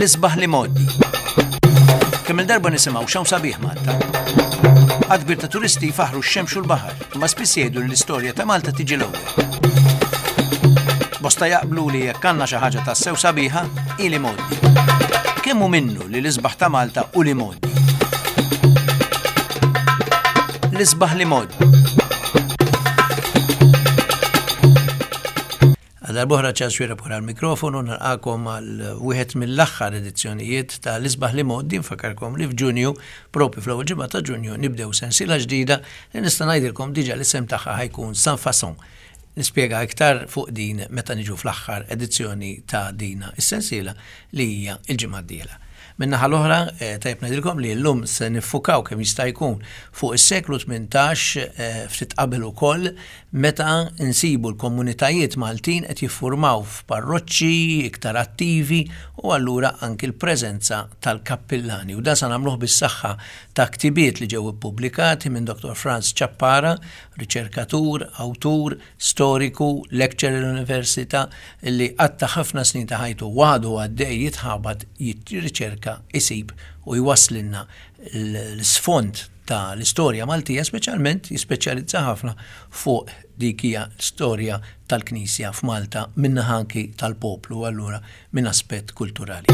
L-isbaħ l-imgħoddi. Kemm-il darba nisimgħu x'hawn sabiħ Malta. Għadd kbir ta' turisti jfaħħru x-xemx u l-baħar, imma spiss jgħidu li l-istorja ta' Malta tiġi l-ewwel. Bosta jaqblu li jekk għandna xi ħaġa tassew sabiħa, hi l-imgħoddi. Kemm hu minnu li l-isbaħ ta' Malta hu l-imgħoddi? L-isbaħ l-imgħoddi. Għal darb'oħra Charles Xuereb wara l-mikrofonu nilqakom għal wieħed mill-aħħar edizzjonijiet ta' L-Isbaħ l-Imgħoddi nfakkarkom li f'Ġunju, propju fl-ewwel ġimgħa ta' Ġunju, nibdew sensiela ġdida li nista' ngħidilkom diġà l-isem tagħha ħa jkun Sans Façon. Nispjega iktar fuq din meta niġu fl-aħħar edizzjoni ta' dina is-sensiela li hija l-ġimgħa d-dieħla. Min-naħa l-oħra, tajjeb ngħidilkom li llum se niffukaw kemm jista' jkun fuq is-seklu 18 ftit qabel ukoll meta nsibu l-komunitajiet Maltin qed jiffurmaw f'parroċċi iktar attivi u allura anki l-preżenza tal-kappillani. U dan se nagħmluh bis-saħħa ta' ktibiet li ġew ippubblikati minn Dottor Frans Ciappara, riċerkatur, awtur, storiku, lecturer l-università li qatta' ħafna snin ta' ħajtu u għadu għaddej jitħabat jirriċerka, isib u jwasslilna l-isfond ta' l-istorja Maltija, speċjalment jispeċjalizza ħafna fuq dik hija l-istorja tal-Knisja f'Malta min-naħa anki tal-poplu allura minn aspett kulturali.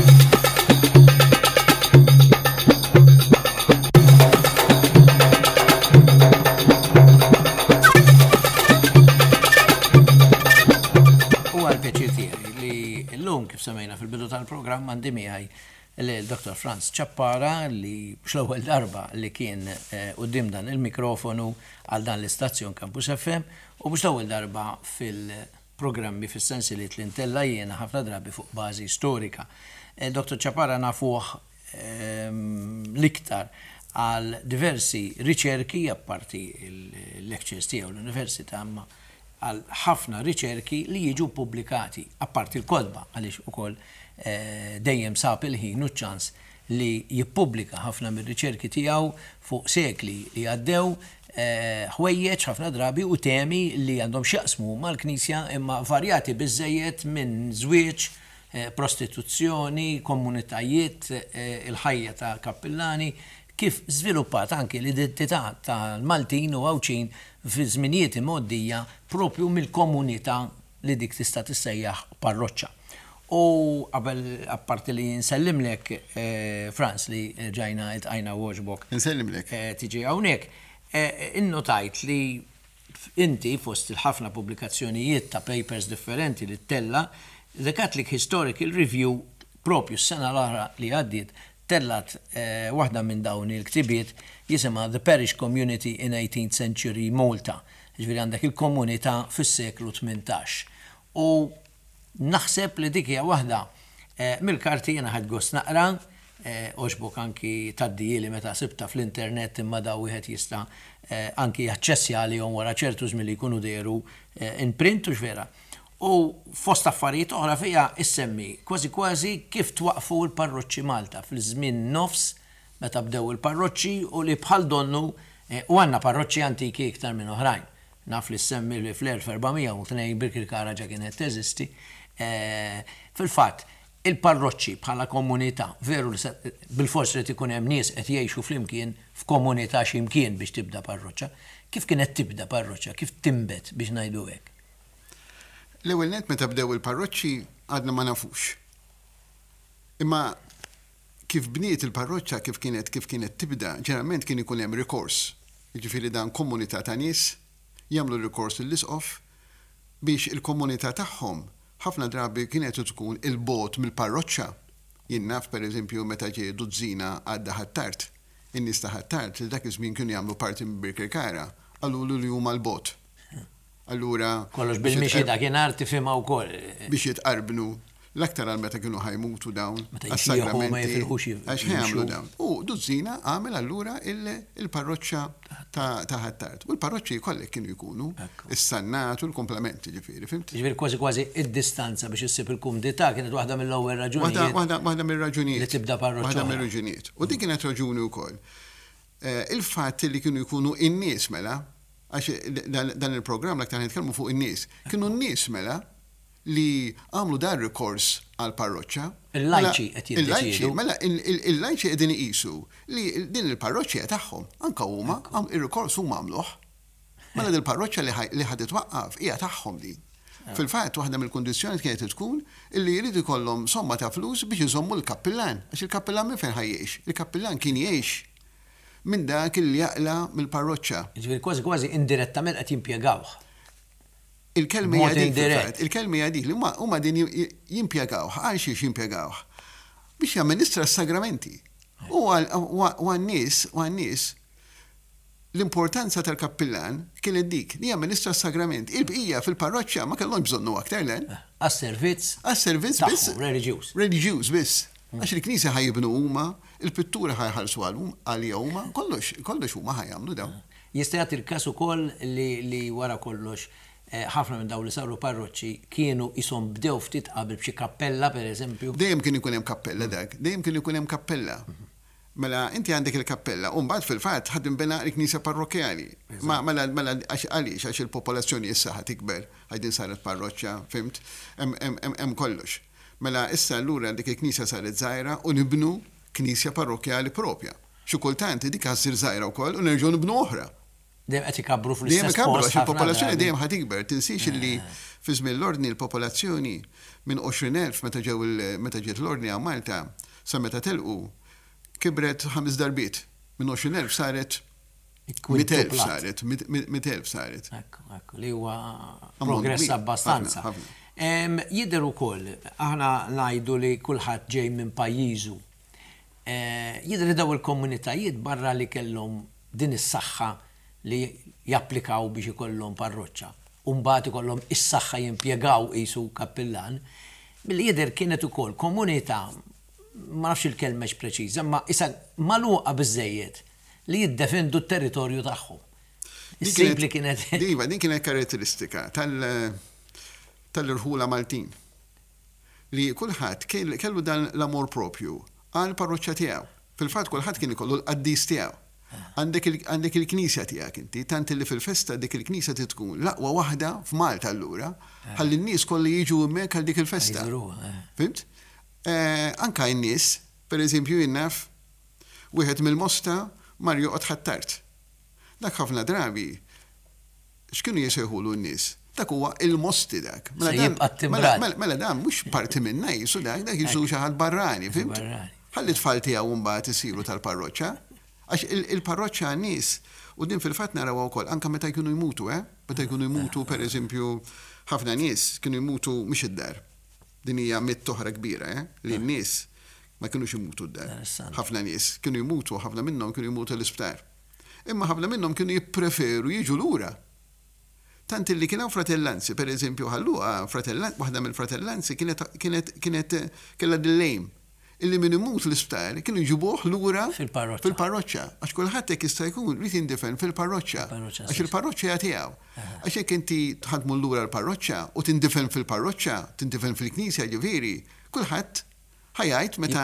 Huwa l-pjaċir tiegħi li llum kif semmejna fil-bidu tal-programm għandi miegħi lil Dottor Frans Ciappara li mhux l-ewwel darba li kien quddiem dan il-mikrofonu għal dan l-istazzjon Campus FM u mhux l-ewwel darba fil-programmi fis-sensiliet li ntella' jiena ħafna drabi fuq bażi storika. Dottor Ciappara nafuh l-iktar għal diversi riċerki apparti l-lectures tiegħu l-università imma għal ħafna riċerki li jiġu ppubblikati, apparti l-kotba għaliex ukoll dejjem sab il-ħin u ċ-ċans li jippubblika ħafna mir-riċerki tiegħu fuq sekli li għaddew, ħwejjeġ ħafna drabi u temi li għandhom x'jaqsmu mal-Knisja imma varjati biżżejjed minn żwieġ, prostituzzjoni, komunitajiet, il-ħajja ta' kappillani, kif żviluppat anki l-identità tal-Maltin u Għawdxin fi żminijiet imgħoddija proprju mill-komunità li dik tista' tissejjaħ parroċċa. U qabel apparti li nsellimlek Frans li rġajna iltqajna u għoġbok. Insellimlek. Tiġi hawnhekk, innotajt li inti fost il-ħafna pubblikazzjonijiet ta' papers differenti li ttella', The Catholic Historical Review proprju s-sena l-oħra li għaddiet tellgħet waħda minn dawn il-ktibiet jisimha The Parish Community in Eighteenth Century Malta. Jiġifieri għandek il-komunità fis-seklu 18. U naħseb li dik hija waħda mill-karti jiena ħadt gost naqra, għoġbok anki tgħaddihieli meta sibtha fl-internet imma dawn wieħed jista' anki jaċċessja għalihom wara ċertu żmien li jkunu dehru in print hux vera? U fost affarijiet oħra fiha issemmi kważi kważi kif twaqqfu l-parroċċi Malta fil-żmien nofs meta bdew il-parroċċi u li bħal donnu u għandna parroċċi antiki iktar minn oħrajn. Naf li ssemmi li fl-1402 Birkirkara ġa kienet teżisti. Fil-fatt, il-parroċċi bħala komunità, veru li bilfors irid ikun hemm nies qed jgħixu flimkien f'komunità xi mkien biex tibda parroċċa. Kif kienet tibda parroċċa? Kif tinbet biex ngħidu hekk? L-ewwel nett meta bdew il-parroċċi għadna ma nafux. Imma kif bniet il-parroċċa kif kienet kif kienet tibda, ġeneralment kien ikun hemm rikors. Jiġifieri dan komunità ta' nies jagħmlu rikors lill-isqof biex il-komunità tagħhom ħafna drabi kienet tkun 'il bogħod mill-parroċċa. Jien naf pereżempju meta ġie Duzzina għadda Ħ'Attard, in-nies ta' Ħ'Attard li dak iż-żmien kienu jagħmlu parti minn Birkirkara qalulu li huma 'l bogħod. Allura. Kollox bil-mixi dakinhar tifhimha wkoll. Biex jitqarbnu, l-aktar għal meta kienu ħa jmutu dawn. Meta jixjieħu ma jifilħux jimxu. Għax ħa jagħmlu dawn. U Duzzina għamel allura il-parroċċa ta' Ħ'Attard. U l-parroċċi kollha kienu jkunu. Is-Sannat u l-kumplament, jiġifieri, fhimt? Jiġifieri kważi kważi id-distanza biex issib il-kumdità kienet waħda mill-ewwel raġunijiet. Waħda mir-raġunijiet. Li tibda parroċċa. Waħda mir-raġunijiet. U din kienet raġuni wkoll. Il-fatt li kienu jkunu in-nies mela, għax dan il-programm l-aktar nitkellmu fuq in-nies, kienu n-nies mela. li għamlu dan rikors għall-parroċċa. Il-lajċi qed jiddeċiedu. Mela il-lajċi qegħdin iqisu li din il-parroċċa hija tagħhom. Anke huma ir-rikors huma għamluh. Mela dil-parroċċa li ħa titwaqqaf hija tagħhom din. Fil-fatt waħda mill-kundizzjonijiet kienet tkun illi jrid ikollhom somma ta' flus biex iżommu l-kappillan. Għax il-kappillan minn fejn ħa jgħix? Il-kappillan kien jgħix minn dak li jaqla' mill-parroċċa. Jiġifieri kważi kważi indirettament qed jimpjegawh. Il-kelma hija dik fil-fatt, il-kelma hija dik li huma huma qegħdin jimpjegawh. Għal xiex jimpjegawh? Biex jamministra s-sagramenti. U għan-nies, u għan-nies, l-importanza tal-kappillan kienet dik, li jamministra s-sagramenti. Il-bqija fil-parroċċa ma kellhomx bżonnu aktar le. Għas-servizz. Għas-servizz biss. Reliġjuż. Reliġjuż biss. Għax il-knisja ħa jibnu huma, il-pittura ħa jħallsu għaliha huma, kollox, kollox huma ħa jagħmlu dawn. Jista' jagħti l-każ ukoll li li wara kollox ħafna minn dawn li saru parroċċi kienu qishom bdew ftit qabel b'xi kappella pereżempju. Dejjem kien ikun hemm kappella dak, dejjem kien ikun hemm kappella. Mela inti għandek il-kappella u mbagħad fil-fatt ħa tinbena l-knisja parrokkjali. Ma mela mela għax għaliex għax il-popolazzjoni issa ħa tikber, għax din saret parroċċa, fhimt? Hemm hemm hemm kollox. Mela issa allura dik il-knisja saret żgħira u nibnu knisja parrokkjali propja. Xi kultant dik ħa ssir żgħira wkoll u nerġgħu nibnu oħra. Dejjem qed ikabbru fl-istess Dejjem ikabbru għax il-popolazzjoni dejjem ħa tikber. Tinsiex illi fi żmien l-Ordni l-popolazzjoni minn 20,000 meta ġew meta ġiet l-Ordni hawn Malta sa meta telqu kibret ħames darbiet. Minn 20,000 saret 100,000 saret, 100,000 saret. Ekku, ekku, li huwa progress abbastanza. Jidher ukoll, aħna ngħidu li kulħadd ġej minn pajjiżu. Jidher li dawn il-komunitajiet barra li kellhom din is-saħħa li japplikaw biex ikollhom parroċċa u mbagħad ikollhom is-saħħa jimpjegaw qisu kappillan, milli jidher kienet ukoll komunità, ma nafx il-kelma hix preċiża, imma qisha magħluqa biżżejjed li jiddefendu t-territorju tagħhom. Issib li kienet. Iva, din kienet karatteristika tal-irħula Maltin. Li kulħadd kellu dan l-amor propju għall-parroċċa tiegħu. Fil-fatt kulħadd kien ikollu l-qaddis tiegħu. Għandek il-knisja tiegħek inti, tant li fil-festa dik il-knisja trid tkun l-aqwa waħda f'Malta allura, ħalli n-nies kollha jiġu hemmhekk għal dik il-festa. Fhimt? Anke n-nies, pereżempju jien naf wieħed mill-Mosta mar joqgħod Ħ'Attard. Dak ħafna drabi x'kienu jsejħulu n-nies? Dak huwa il-Mosti dak. Mela dan, mela, mela, mela dan mhux parti minna jisu dak, dak jisu xi ħadd barrani, fhimt? Ħalli t-tfal tiegħu mbagħad isiru tal-parroċċa. Għax il-parroċċa għan-nies, u din fil-fatt narawha wkoll anke meta jkunu jmutu, eh? Meta jkunu jmutu, pereżempju, ħafna nies kienu jmutu mhux id-dar. Din hija mitt oħra kbira, eh? Li n-nies ma kinux imutu d-dar. Ħafna nies kienu jmutu, ħafna minnhom kienu jmutu l-isptar. Imma ħafna minnhom kienu jippreferu jiġu lura. Tant illi kien hawn fratellanzi, per eżempju Ħal Luqa, waħda mill-fratellanzi kienet kienet kienet kellha din l-aim illi min imut l-isptar kienu jġibuh lura fil-parroċċa. Għax kulħadd jekk jista' jkun ried jindifen fil-parroċċa. Għax il-parroċċa hija tiegħu. Għax jekk inti ħa tmur lura l-parroċċa u tindifen fil-parroċċa, tindifen fil-knisja ġifieri, kulħadd Ħa jgħid meta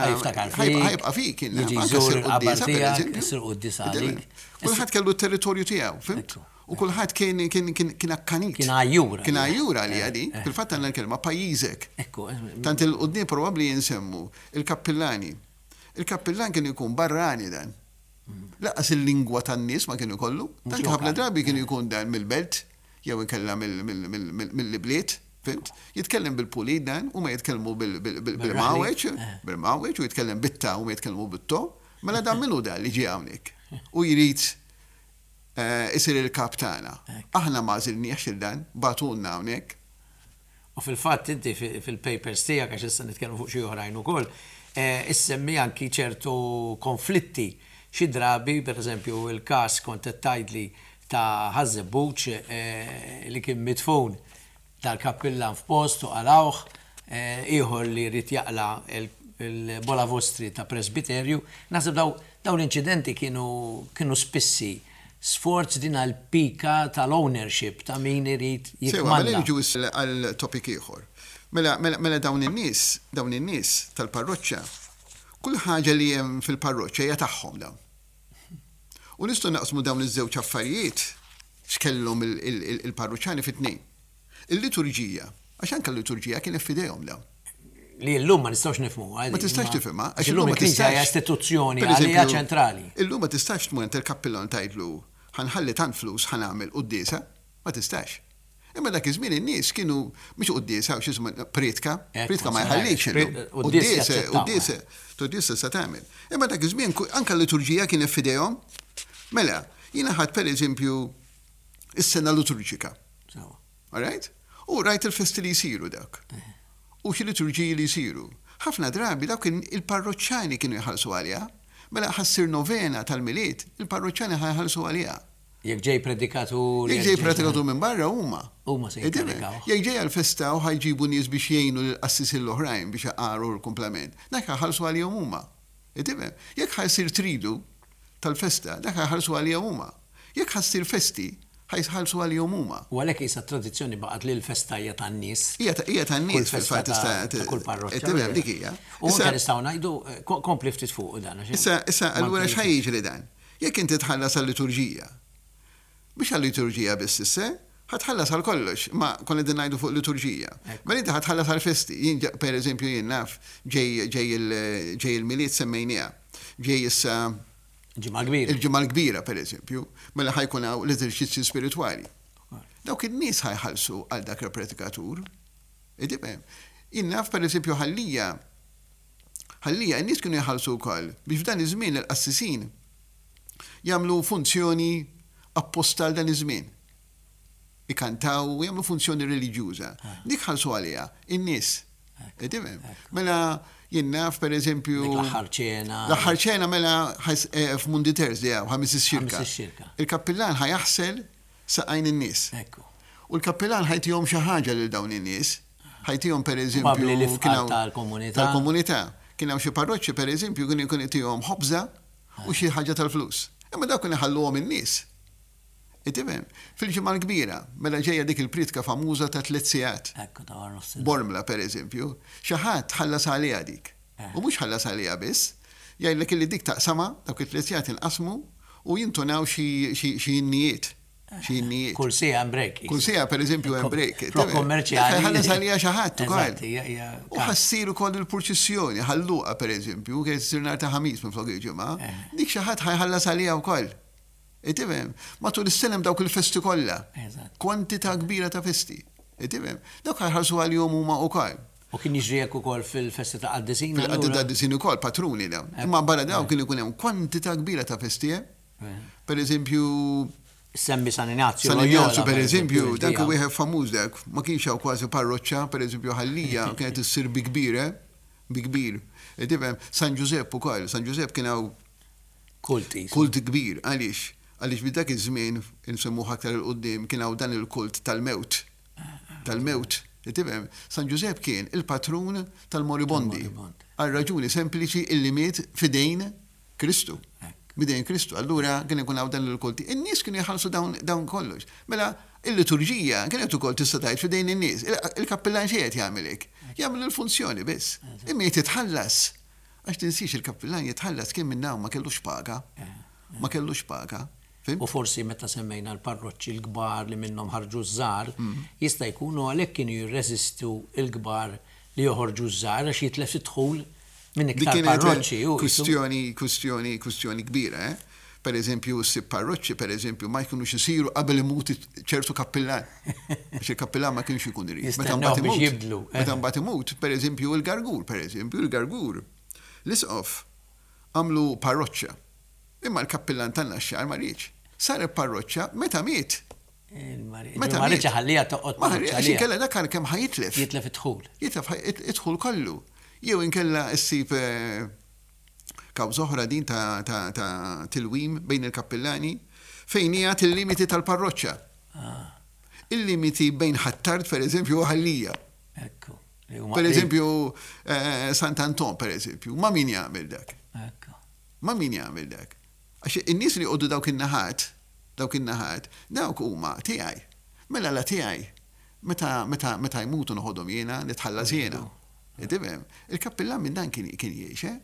ħa jibqa' fik jiġi jżur il-qabar tiegħek, isir quddiesa għalik. Kulħadd kellu t-territorju tiegħu, fhimt? U kulħadd kien kien kien kien akkanit. Kien għajjur. Kien għajjur għaliha din. Fil-fatt għandna l-kelma pajjiżek. Ekku. Tant 'il quddiem probabbli insemmu il-kappillani. Il-kappillan kien ikun barrani dan. Lanqas il-lingwa tan-nies ma kien ikollu. Tant ħafna drabi kien ikun dan mill-belt jew inkella mill-ibliet. Fhimt? Jitkellem bil-pulit dan, huma jitkellmu bil-mawweġ, bil-mawweġ, u jitkellem bit-ta, huma jitkellmu bit-to. Mela dan min hu dan li ġie hawnhekk u jrid isir il-kap tagħna? Aħna ma għażilniehx lil dan, bagħtulna hawnhekk. U fil-fatt inti fil-papers tiegħek, għax issa nitkellmu fuq xi oħrajn ukoll, issemmi anki ċertu konflitti. Xi drabi, pereżempju, il-każ kont qed tgħidli ta' Ħaż-Żebbuġ li kien midfun dal-kappillan f'post u qalgħuh, ieħor li ried jaqla' l-bola vostri ta' presbiterju. Naħseb dawn l-inċidenti kienu kienu spissi sforz din għall-pika tal-ownership ta' min irid Sewwa, jikmanda. mela niġu issa għal topic ieħor. Mela, mela, mela dawn in-nies, dawn in-nies tal-parroċċa, kull ħaġa li hemm fil-parroċċa hija tagħhom dawn. U nistgħu naqsmu dawn iż-żewġ affarijiet x'kellhom il-parruċċani fi tnejn. Il-liturġija, Għax anke l-liturġija kienet f'idejhom dawn. Li llum ma nistgħux nifhmuha. Ma tistax tifhimha. Għax illum il-Knisja hija istituzzjoni għalija ċentrali. Illum ma tistax tmur għand il-kappillan tgħidlu ħa nħalli tant flus ħa nagħmel quddiesa. Ma tistax. Imma dak iż-żmien in-nies kienu mhux quddiesa u x'ismu prietka, prietka ma jħallix illum. Quddiesa, quddiesa, quddiesa se tagħmel. Imma dak iż-żmien anke l-liturġija kienet f'idejhom. Mela, jiena ħadt pereżempju is-sena liturġika. All right? U rajt il-festi li jsiru dawk. U xi liturġiji li jsiru. Ħafna drabi dawk il-parroċċani kienu jħallsu għaliha. Mela ħa ssir novena tal-Milied, il-parroċċani ħa jħallsu għaliha. Jekk ġej predikatur. Jekk ġej predikatur minn barra huma. Huma se jinkarikaw. Jekk ġej għall-festa u ħa jġibu nies biex jgħinu lill-qassisin l-oħrajn biex iqaru l-kumplament, dak ħa jħallsu għalihom huma. Tifhem? Jekk ħa jsir tridu tal-festa, dak ħa jħallsu għalihom huma. Jekk ħa ssir festi, ħa jħallsu għalihom huma. U għalhekk qisha t-tradizzjoni baqgħet li l-festa hija tan-nies. Hija tan-nies fil-fatt tista' ta' kull parroċċa. Tifhem dik hija. U anke nistgħu ngħidu, kompli ftit fuqu dan. Issa, issa allura x'ħa jiġri dan? Jekk inti tħallas għal-liturġija, mhux għal-liturġija biss issa, ħa tħallas għal kollox, imma konna qegħdin ngħidu fuq liturġija. Mela inti ħa tħallas għall-festi. Jien per eżempju jien naf ġej ġej ġej il-Milied semmejniha. Ġej issa Il-Ġimgħa l-Kbira. Il-Ġimgħa l-Kbira per eżempju, mela ħa jkun hawn l-eżerċizzji spiritwali. Dawk in-nies ħa jħallsu għal dak il-predikatur. Tifhem? Jien naf per eżempju Ħal Lija Ħal Lija n-nies kienu jħallsu wkoll biex f'dan iż-żmien il-qassisin jagħmlu funzjoni apposta għal dan iż-żmien. Ikantaw u jagħmlu funzjoni reliġjuża. Dik ħallsu għaliha in-nies. Tifhem? Mela jien naf pereżempju. Dik l-aħħar ċena. L-aħħar ċena mela f'Mundi Thursday hawn ħamis ix-xirka. Il-kappillan ħa jaħsel saqajn in-nies. U l-kappillan ħa jtihom xi ħaġa lil dawn in-nies. Ħa jtihom pereżempju. Probabbli l-ifqar tal-komunità. Tal-komunità. Kien hawn xi parroċċi pereżempju kien ikun itihom ħobża u xi ħaġa tal-flus. Imma dawk kienu jħalluhom in-nies. Tifhem? Fil-Ġimgħa l-Kbira, mela ġejja dik il-prietka famuża ta' tliet sigħat. Ekku, ta' wara nofsinhar. Bormla pereżempju, xi ħadd ħallas għaliha dik. U mhux ħallas għaliha biss, jgħidlek illi dik taqsamha, dawk it-tliet sigħat inqasmu u jintunaw xi xi innijiet. Xi innijiet. Kull siegħa hemm break. Kull siegħa pereżempju hemm break. Flok kummerċjali. Ħallas għaliha xi ħadd ukoll. Eżatt, hija hija. U ħa ssir ukoll il-purċissjoni, Ħal Luqa pereżempju, kienet issir nhar ta' Ħamis minflok il-Ġimgħa, dik xi ħadd ħa jħallas għaliha wkoll. Tifhem? Matul is-sena hemm dawk il-festi kollha. Eżatt. Kwantità kbira ta' festi. Tifhem? Dawk ħa jħallsu għalihom huma wkoll. U kien jiġri hekk ukoll fil-festi ta' qaddisin? Fil-qaddi ta' qaddisin ukoll, patruni dawn. Imma barra dawn kien ikun hemm kwantità kbira ta' festi, eh? Per eżempju. Semmi San Inazju. San Inazju, per eżempju, dak wieħed famuż dak, ma kienx hawn kważi parroċċa, per eżempju Ħal Lija kienet issir bi kbir, eh? Bi kbir. Tifhem, San Ġużepp ukoll, San Ġużepp kien hawn Kult Kult kbir, għaliex? Għaliex minn dak iż-żmien, insemmuh aktar 'il quddiem, kien hawn dan il-kult tal-mewt. Tal-mewt. Tifhem? San Ġużepp kien il-patrun tal-moribondi. Għal raġuni sempliċi illi miet f'idejn Kristu. B'idejn Kristu. Allura kien ikun hawn dan il-kulti. In-nies kienu jħallsu dawn dawn kollox. Mela il-liturġija kienet ukoll tista' tgħid f'idejn in-nies. Il-kappillan xi qed jagħmel hekk? Jagħmel il-funzjoni biss. Imma jrid jitħallas. Għax tinsiex il-kappillan jitħallas kien minn hawn ma kellux paga. Ma kellux paga. Fhimt? U forsi meta semmejna l-parroċċi l-kbar li minnhom ħarġu ż-żgħar, jista' jkun u għalhekk kienu jirreżistu l-kbar li joħorġu ż-żgħar għax jitlef id-dħul minn iktar parroċċi. Dik kienet kwistjoni, kwistjoni, kwistjoni kbira, eh? Per eżempju, ssib parroċċi, per eżempju, ma jkunux isiru qabel imut ċertu kappillan. Għax il-kappillan ma kienx ikun irid. Meta mbagħad imut. Jibdlu. Meta mbagħad imut, per eżempju, il-Gargur, per eżempju, il-Gargur. L-isqof għamlu parroċċa. Imma l-kappillan tan-Naxxar ma riedx. Saret parroċċa meta miet. Meta ma riedx iħalliha toqgħod Ma riedx għax inkella dak għal kemm ħa jitlef. Jitlef id-dħul. Jitlef id-dħul kollu. Jew inkella ssib kawża oħra din ta' tilwim bejn il-kappillani fejn qiegħed il-limiti tal-parroċċa. Il-limiti bejn Ħ'Attard pereżempju u Ħal Lija. Ekku. Pereżempju Sant'Anton pereżempju, ma' min jagħmel dak? Ekku. Ma' min jagħmel dak? Għax in-nies li joqogħdu dawk in-naħat, dawk in-naħat, dawk huma tiegħi. Mela la tiegħi, meta, meta, meta jmutu noħodhom jiena, nitħallas jiena. Tifhem? Il-kappillan minn dan kien, kien jgħix, eh?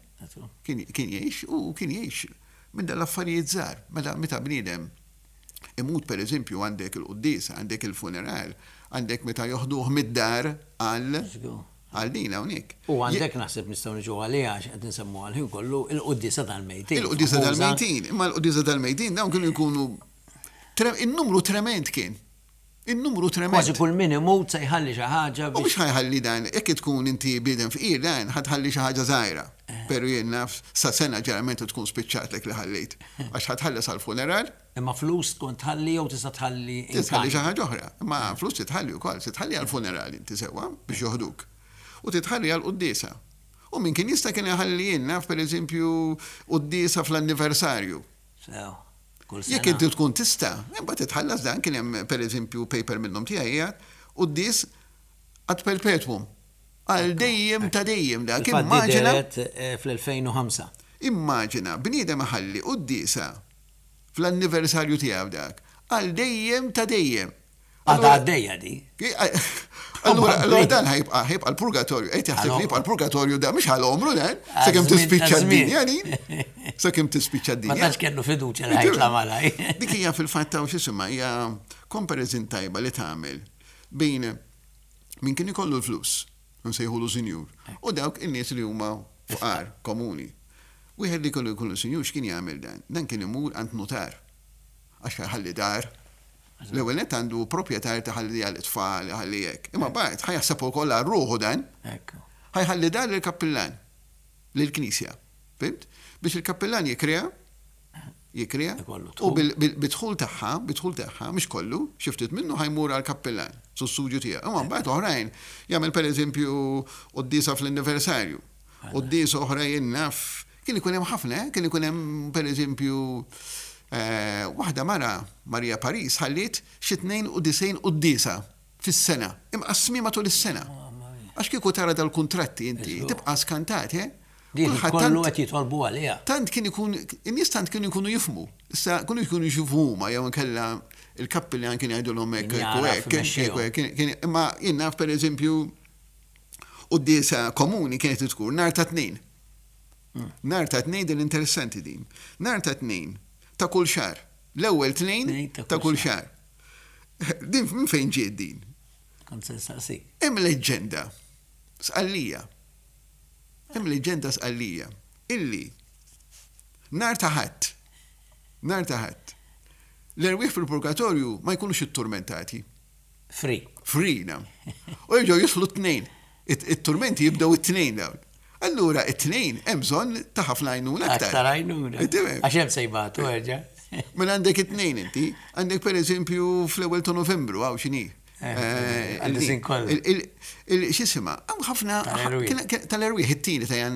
Kien, kien jgħix u kien jgħix minn dan l-affarijiet żgħar. Mela meta bniedem imut pereżempju għandek il-quddiesa, għandek il-funeral, għandek meta joħduh mid-dar għal għal din hawnhekk. U għandek naħseb nistgħu niġu għaliha għax qed insemmuha l-ħin kollu il-quddiesa tal-mejtin. Il-quddiesa tal-mejtin, imma l-quddiesa tal-mejtin dawn kienu jkunu in-numru trement kien. In-numru trement. Kważi kull min imut se jħalli xi ħaġa biex. U mhux ħa jħalli dan, jekk tkun inti bniedem fqir dan ħa tħalli xi ħaġa żgħira. Pero jien naf sa sena ġeneralment tkun spiċċatlek li ħallejt. Għax ħa tħallas għall-funeral. Imma flus tkun tħalli jew tista' tħalli in Tista' tħalli xi ħaġa oħra. Imma flus titħalli wkoll, se tħalli għall-funeral inti sewwa biex joħduk. U titħalli għall-quddiesa. U min kien jista' kien iħalli jien naf pereżempju quddiesa fl-anniversarju. Sew. Kull sena. Jekk inti tkun tista', imbagħad titħallas dan kien hemm pereżempju paper minnhom tiegħi qiegħed quddies ad perpetuum. Għal dejjem ta' dejjem dak. Immaġina. Eh, fl-2005. Immaġina bniedem iħalli quddiesa fl-anniversarju tiegħu dak għal dejjem ta' dejjem. Għadha għaddejja di. Allura, allura dan ħajbqa' ħajbqa' l-purgatorju, qed jaħseb li jibqa' l-purgatorju da mhux għal omru dan, sakemm tispiċċa d-dinja din. Sakemm tispiċċa d-dinja. Ma tantx kellu fiduċja li ħajtla malaj. Dik hija fil-fatt hawn x'isimha hija comparison tajba li tagħmel bejn min kien ikollu l-flus, nsejħulu sinjur, u dawk in-nies li huma fqar komuni. Wieħed li kellu jkunu sinjur x'kien jagħmel dan? Dan kien imur għand nutar għax ħalli dar L-ewwel nett għandu proprjetà jrid iħalli għal-itfal, iħalli hekk. Imma mbagħad ħa jaħseb ukoll għal ruħu dan. Ħa jħalli dar lill-kappillan, lill-knisja. Fhimt? Biex il-kappillan jikriha, jikriha, u bid-dħul tagħha, bid-dħul tagħha, mhux kollu, xi ftit minnu ħa jmur għall-kappillan, sussidju tiegħu. Imma mbagħad oħrajn jagħmel pereżempju quddiesa fl-anniversarju. Quddiesa oħra jien naf, kien ikun hemm ħafna, eh? Kien ikun hemm pereżempju eh, waħda mara, Maria Paris, ħalliet xi 92 quddiesa fis-sena, imqassmi matul is-sena. Għax kieku tara dal-kuntratti inti, tibqa' skantat, eh? Kulħadd kollu qed jitolbu għaliha. Tant kien ikun, in-nies tant kienu jkunu jifhmu. Issa kienu jkunu jxufu huma jew inkella il-kappillan kien jgħidulhom hekk hekk hekk, imma jien naf pereżempju Quddiesa komuni kienet tkun nhar ta' Tnejn. Nhar ta' Tnejn din interessanti din. Nhar ta' Tnejn ta' kull xahar. L-ewwel Tnejn ta' kull xahar. Din minn fejn ġiet din? Kont se nsaqsik. Hemm leġġenda Sqallija. Hemm leġġenda Sqallija illi nhar ta' Ħadd, nhar ta' Ħadd, l-erwieħ fil-purgatorju ma jkunux itturmentati. Free. Free, nam. U jerġgħu jidħlu t-tnejn. It-turmenti jibdew it-tnejn dawn. Allura it-tnejn hemm bżonn ta' ħafna għajnuna aktar. Aktar għajnuna. Għax hemm se jbatu erġa'. Mela għandek it-tnejn inti, għandek pereżempju fl-ewwel ta' Novembru hawn x'inhi. Eh, X'isima, hawn ħafna tal-erwieħ it-tieni ta'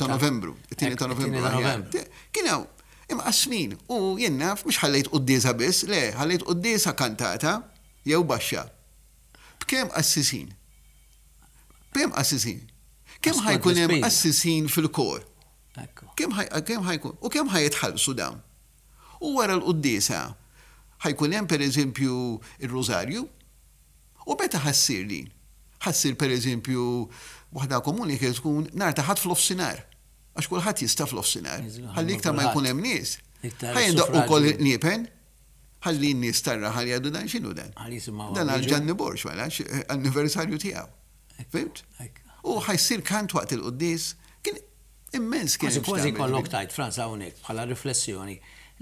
Novembru. It-tieni ta' Novembru. Kien hawn Imqassmin, u jien naf, mhux ħallejt quddiesa biss, le, ħallejt quddiesa kantata jew baxxa. B'kemm qassisin? B'kemm qassisin? Kemm ħa jkun hemm qassisin fil-kor? Kemm ħa jkun? U kemm ħa jitħallsu dawn? U wara l-quddiesa ħa jkun hemm pereżempju r-rużarju? U meta ħa ssir din? Ħa ssir pereżempju waħda komuni kienet tkun nhar ta' Ħadd f'nofsinhar. Għax kulħadd jista' f'nofsinhar. Ħalli iktar ma jkun hemm nies. Ħa jindoqqu wkoll il-qniepen. Ħalli n-nies tar-raħal jgħidu dan x'inhu dan? Dan għal Ġanni Borg mela anniversarju tiegħu. Fhimt? U ħa jsir kant waqt il-quddies. Kien immens kien. Kważi kważi jkollok tgħid Frans hawnhekk bħala riflessjoni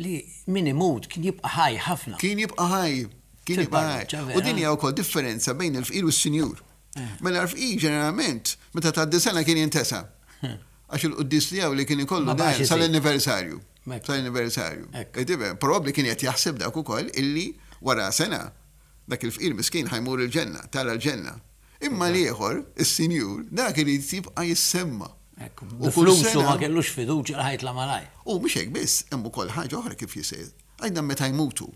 li min imut kien jibqa' ħaj ħafna. Kien jibqa' ħaj. Kien jibqa' ħaj. U din hija wkoll differenza bejn il-fqir u s-sinjur. Mela l-fqir ġeneralment meta tgħaddi sena kien jintesa. Għax il-quddies tiegħu li kien ikollu dan sal-anniversarju. Sal-anniversarju. Probabbli kien qed jaħseb dak ukoll illi wara sena dak il-fqir miskin ħa jmur il-ġenna, tara l-ġenna. Imma l-ieħor, is-sinjur, dak irid jibqa' jissemma. U kull sena ma kellux fiduċja li ħa jitla' malajr. U mhux hekk biss, hemm ukoll ħaġa oħra kif jisir. Għidna meta jmutu.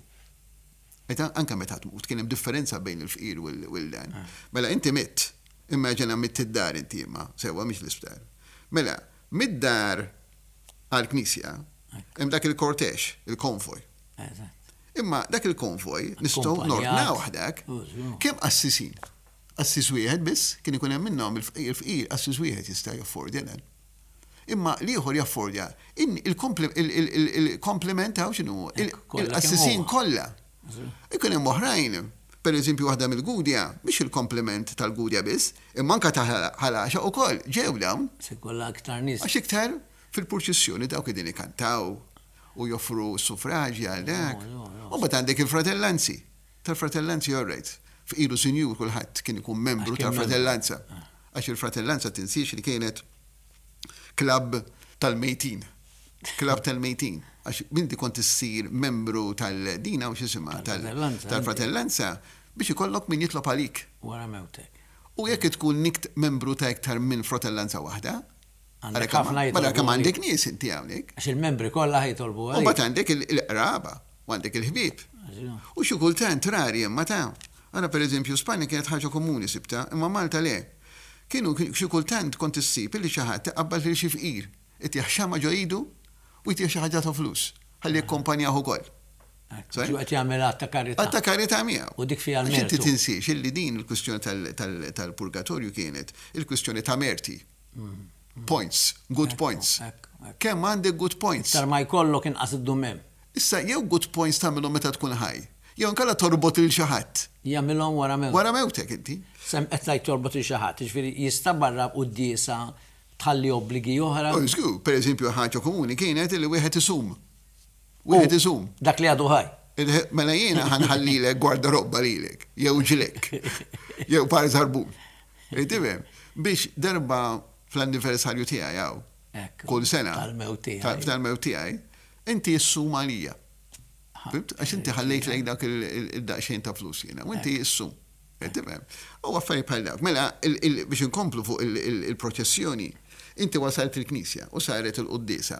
Meta anke meta tmut kien hemm differenza bejn il-fqir u l-dan. Mela inti mitt, immaġina mitt id-dar inti imma, sewwa mhix l-isptar. Mela, mid-dar għall-knisja hemm dak il-kortex, il-konvoj. Imma dak il-konvoj nistgħu nordnawh dak. Kemm qassisin? Qassis wieħed biss kien ikun hemm minnhom il-fqir qassis wieħed jista' jaffordja dan. Imma l-ieħor jaffordja il-komplement hawn x'inhu? Il-qassisin kollha. Ikun hemm oħrajn, per eżempju waħda mill-Gudja, mhix il-komplement tal-Gudja biss, imma anke ta' Ħal Għaxaq ukoll ġew dawn. Se jkollha iktar nies. Għax iktar fil-purċissjoni dawk qegħdin ikantaw u joffru s-suffraġi għal dak. U mbagħad għandek il-fratellanzi. Tal-fratellanzi all right. Fqir u sinjur kulħadd kien ikun membru tal-fratellanza. Għax il-fratellanza tinsiex li kienet klabb tal-mejtin. Klabb tal-mejtin. Għax inti kont issir membru tal-dina u x'isimha tal-fratellanza biex ikollok min jitlob għalik. Wara mewtek. U jekk tkun nikt membru ta' iktar minn fratellanza waħda, Għandek ħafna jitolbu. Mela kemm għandek nies inti hawnhekk. Għax il-membri kollha ħa jitolbu għalik. U mbagħad għandek il-qraba u għandek il-ħbieb. U xi kultant rari imma ta' Ara pereżempju Spanja kienet ħaġa komuni sibtha, imma Malta le. Kienu xi kultant kont issib illi xi ħadd iqabbad lil xi fqir, itih xama' ġo idu u jtih xi ħaġa ta' flus ħalli jikkompanjah ukoll. Hu qed jagħmel att ta' karità. Att ta' karità miegħu. U dik fiha l-mertu. Għax inti tinsiex illi din il-kwistjoni tal-purgatorju kienet il-kwistjoni ta' merti. Points, good points. Kemm għandek good points? Iktar ma jkollok inqas iddum hemm. Issa jew good points tagħmilhom meta tkun ħaj, jew inkella torbot lil xi ħadd. Jagħmilhom wara mewtek. Wara mewtek inti. Sem qed tgħid torbot lil xi ħadd, jiġifieri jista' barra quddiesa tħalli obbligi oħra? Oh, żgur, pereżempju ħaġa komuni kienet li wieħed isum. Wieħed isum. Dak li għadu ħaj. Mela jiena ħa nħallilek gwardarobba lilek, jew ġlekk, jew par żarbun. Tifhem? Biex darba fl-anniversarju tiegħi hawn, kull sena, tal-mewt tiegħi, inti issum għalija. Fimt? Għax inti ħallejt lejk dak il-daqsxejn ta' flus jiena, u inti issum. Tifhem? U affarijiet bħal dawk. Mela, biex inkomplu fuq il-proċessjoni, inti wasalt il-knisja u saret il-quddiesa.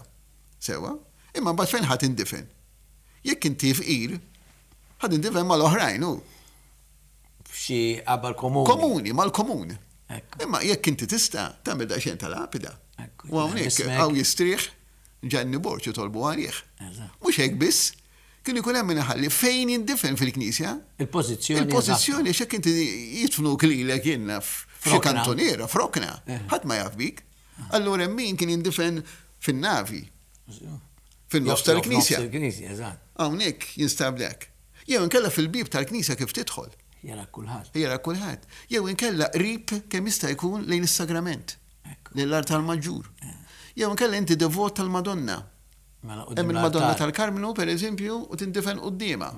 Sewwa? Imma mbagħad fejn ħa tindifen? Jekk inti fqir, ħa tindifen mal-oħrajn hu. F'xi qabar komuni. Komuni, mal-komun. Imma jekk inti tista' tagħmel daqsxejn ta' lapida. U hawnhekk hawn jistrieħ Ġanni Borg jitolbu għalih. Mhux hekk biss, kien ikun hemm min iħalli fejn jindifen fil-knisja. Il-pożizzjoni. Il-pożizzjoni għax jekk inti jidfnuk lilek jien naf f'xi kantuniera, f'rokna, ħadd ma jaf bik. Allura hemm min kien jindifen fin-navi. Fin-nofs tal-knisja. Hawnhekk jinstab dak. Jew inkella fil-bieb tal-knisja kif tidħol. Jarak kulħadd. Jarak kulħadd. Jew inkella qrib kemm jista' jkun lejn is-sagrament. Lejn l-artal maġġur. Jew inkella inti devot tal-Madonna. Mela Hemm il-Madonna tal-Karmnu, per eżempju, u tindifen quddiemha.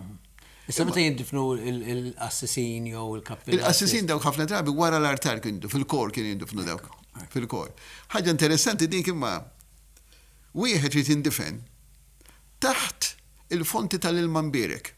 Issa meta jindifnu l-qassisin jew il-kappillani? Il-qassisin dawk ħafna drabi wara l-artal kienu, fil-kor kienu jindifnu dawk. Fil-kor. Ħaġa interessanti dik imma wieħed irid jindifen taħt il-fonti tal-ilma mbierek.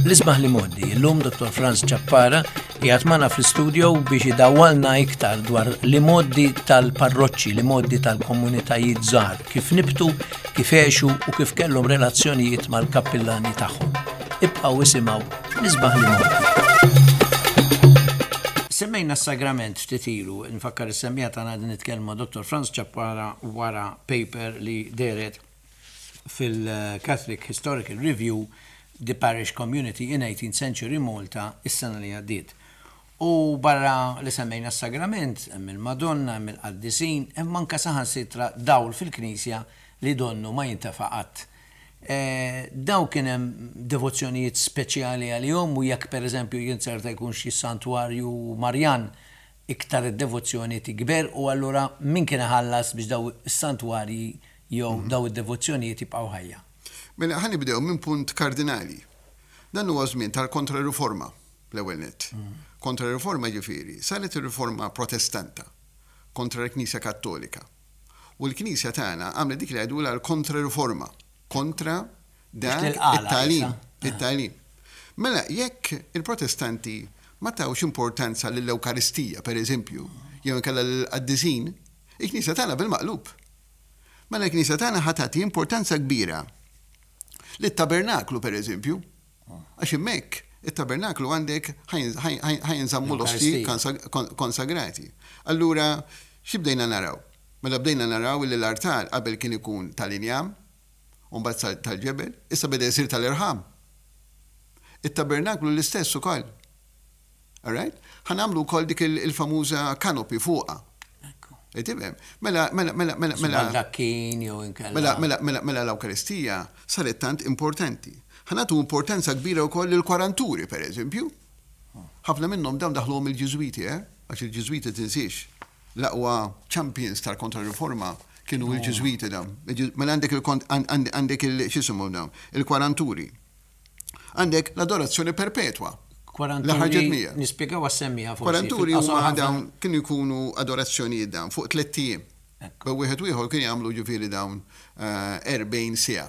L-isbaħ li mgħoddi, illum Dottor Frans Ciappara qiegħed magħna fl-istudio biex idawwalna iktar dwar l-imgħoddi tal-parroċċi, l-imgħoddi tal-komunitajiet żgħar, kif nibtu, kif għexu u kif kellhom relazzjonijiet mal-kappillani tagħhom. Ibqgħu isimgħu l-isbaħ li mgħoddi. Semmejna s-sagrament ftit ilu, nfakkar is-semmiegħa tagħna qegħdin nitkellmu ma' Dottor Frans Ciappara wara paper li dehret fil-Catholic Historical Review The Parish Community in Eighteenth Century Malta is-sena li għaddiet. U barra li semmejna s-sagrament, hemm il-Madonna, hemm il-qaddisin, hemm anke saħansitra dawl fil-knisja li donnu ma jintefa' qatt. Dawn kien hemm devozzjonijiet speċjali għalihom u jekk pereżempju jinzerta jkun xi santwarju Marjan iktar id-devozzjoni tikber u allura min kien iħallas biex dawn is-santwarji jew dawn id-devozzjonijiet jibqgħu ħajja? Mela ħa nibdew minn punt kardinali. Dan huwa żmien tal-Kontra-Riforma, l-ewwel nett. Kontra-Riforma jiġifieri, saret ir-Riforma Protestanta kontra l-Knisja Kattolika. U l-Knisja tagħna għamlet dik li jgħidulha l-Kontra-Riforma, kontra dak it-tagħlim, it-tagħlim. Mela jekk il-Protestanti ma tawx importanza lill-Ewkaristija, pereżempju, jew inkella lill-qaddisin, il-Knisja tagħna bil-maqlub. Mela l-Knisja tagħna ħa tagħti importanza kbira lit-tabernaklu pereżempju, għax hemmhekk it-tabernaklu għandek ħa jinżammu l-osti konsagrati. Allura xi bdejna naraw? Mela bdejna naraw li l-artal qabel kien ikun tal-injam. U mbagħad sar tal-ġebel, issa beda jsir tal-irħam. It-tabernaklu l-istess ukoll. All right? Ħa nagħmlu wkoll dik il-famuża canopy fuqha. Tifhem? Mela, mela, mela, mela, mela. Baldakkin jew inkella. Mela, mela, mela, mela l-Ewkaristija saret tant importanti. Ħa nagħtu importanza kbira wkoll lill-kwaranturi, pereżempju. Ħafna minnhom dawn daħluhom il-Ġiżwiti, eh? Għax il-Ġiżwiti tinsiex, l-aqwa champions tal-Kontra-Riforma kienu l-Ġiżwiti dawn. Mela għandek il-kont għandek il x'isimhom dawn? Il-kwaranturi. Għandek l-adorazzjoni perpetwa. Kwaranturi, nispjegaw għas-semmiegħa forsi. Kwaranturi huma dawn kienu jkunu adorazzjonijiet dawn fuq tlett ijiem. Bejn wieħed u ieħor kienu jagħmlu ġifieri dawn 40 siegħa.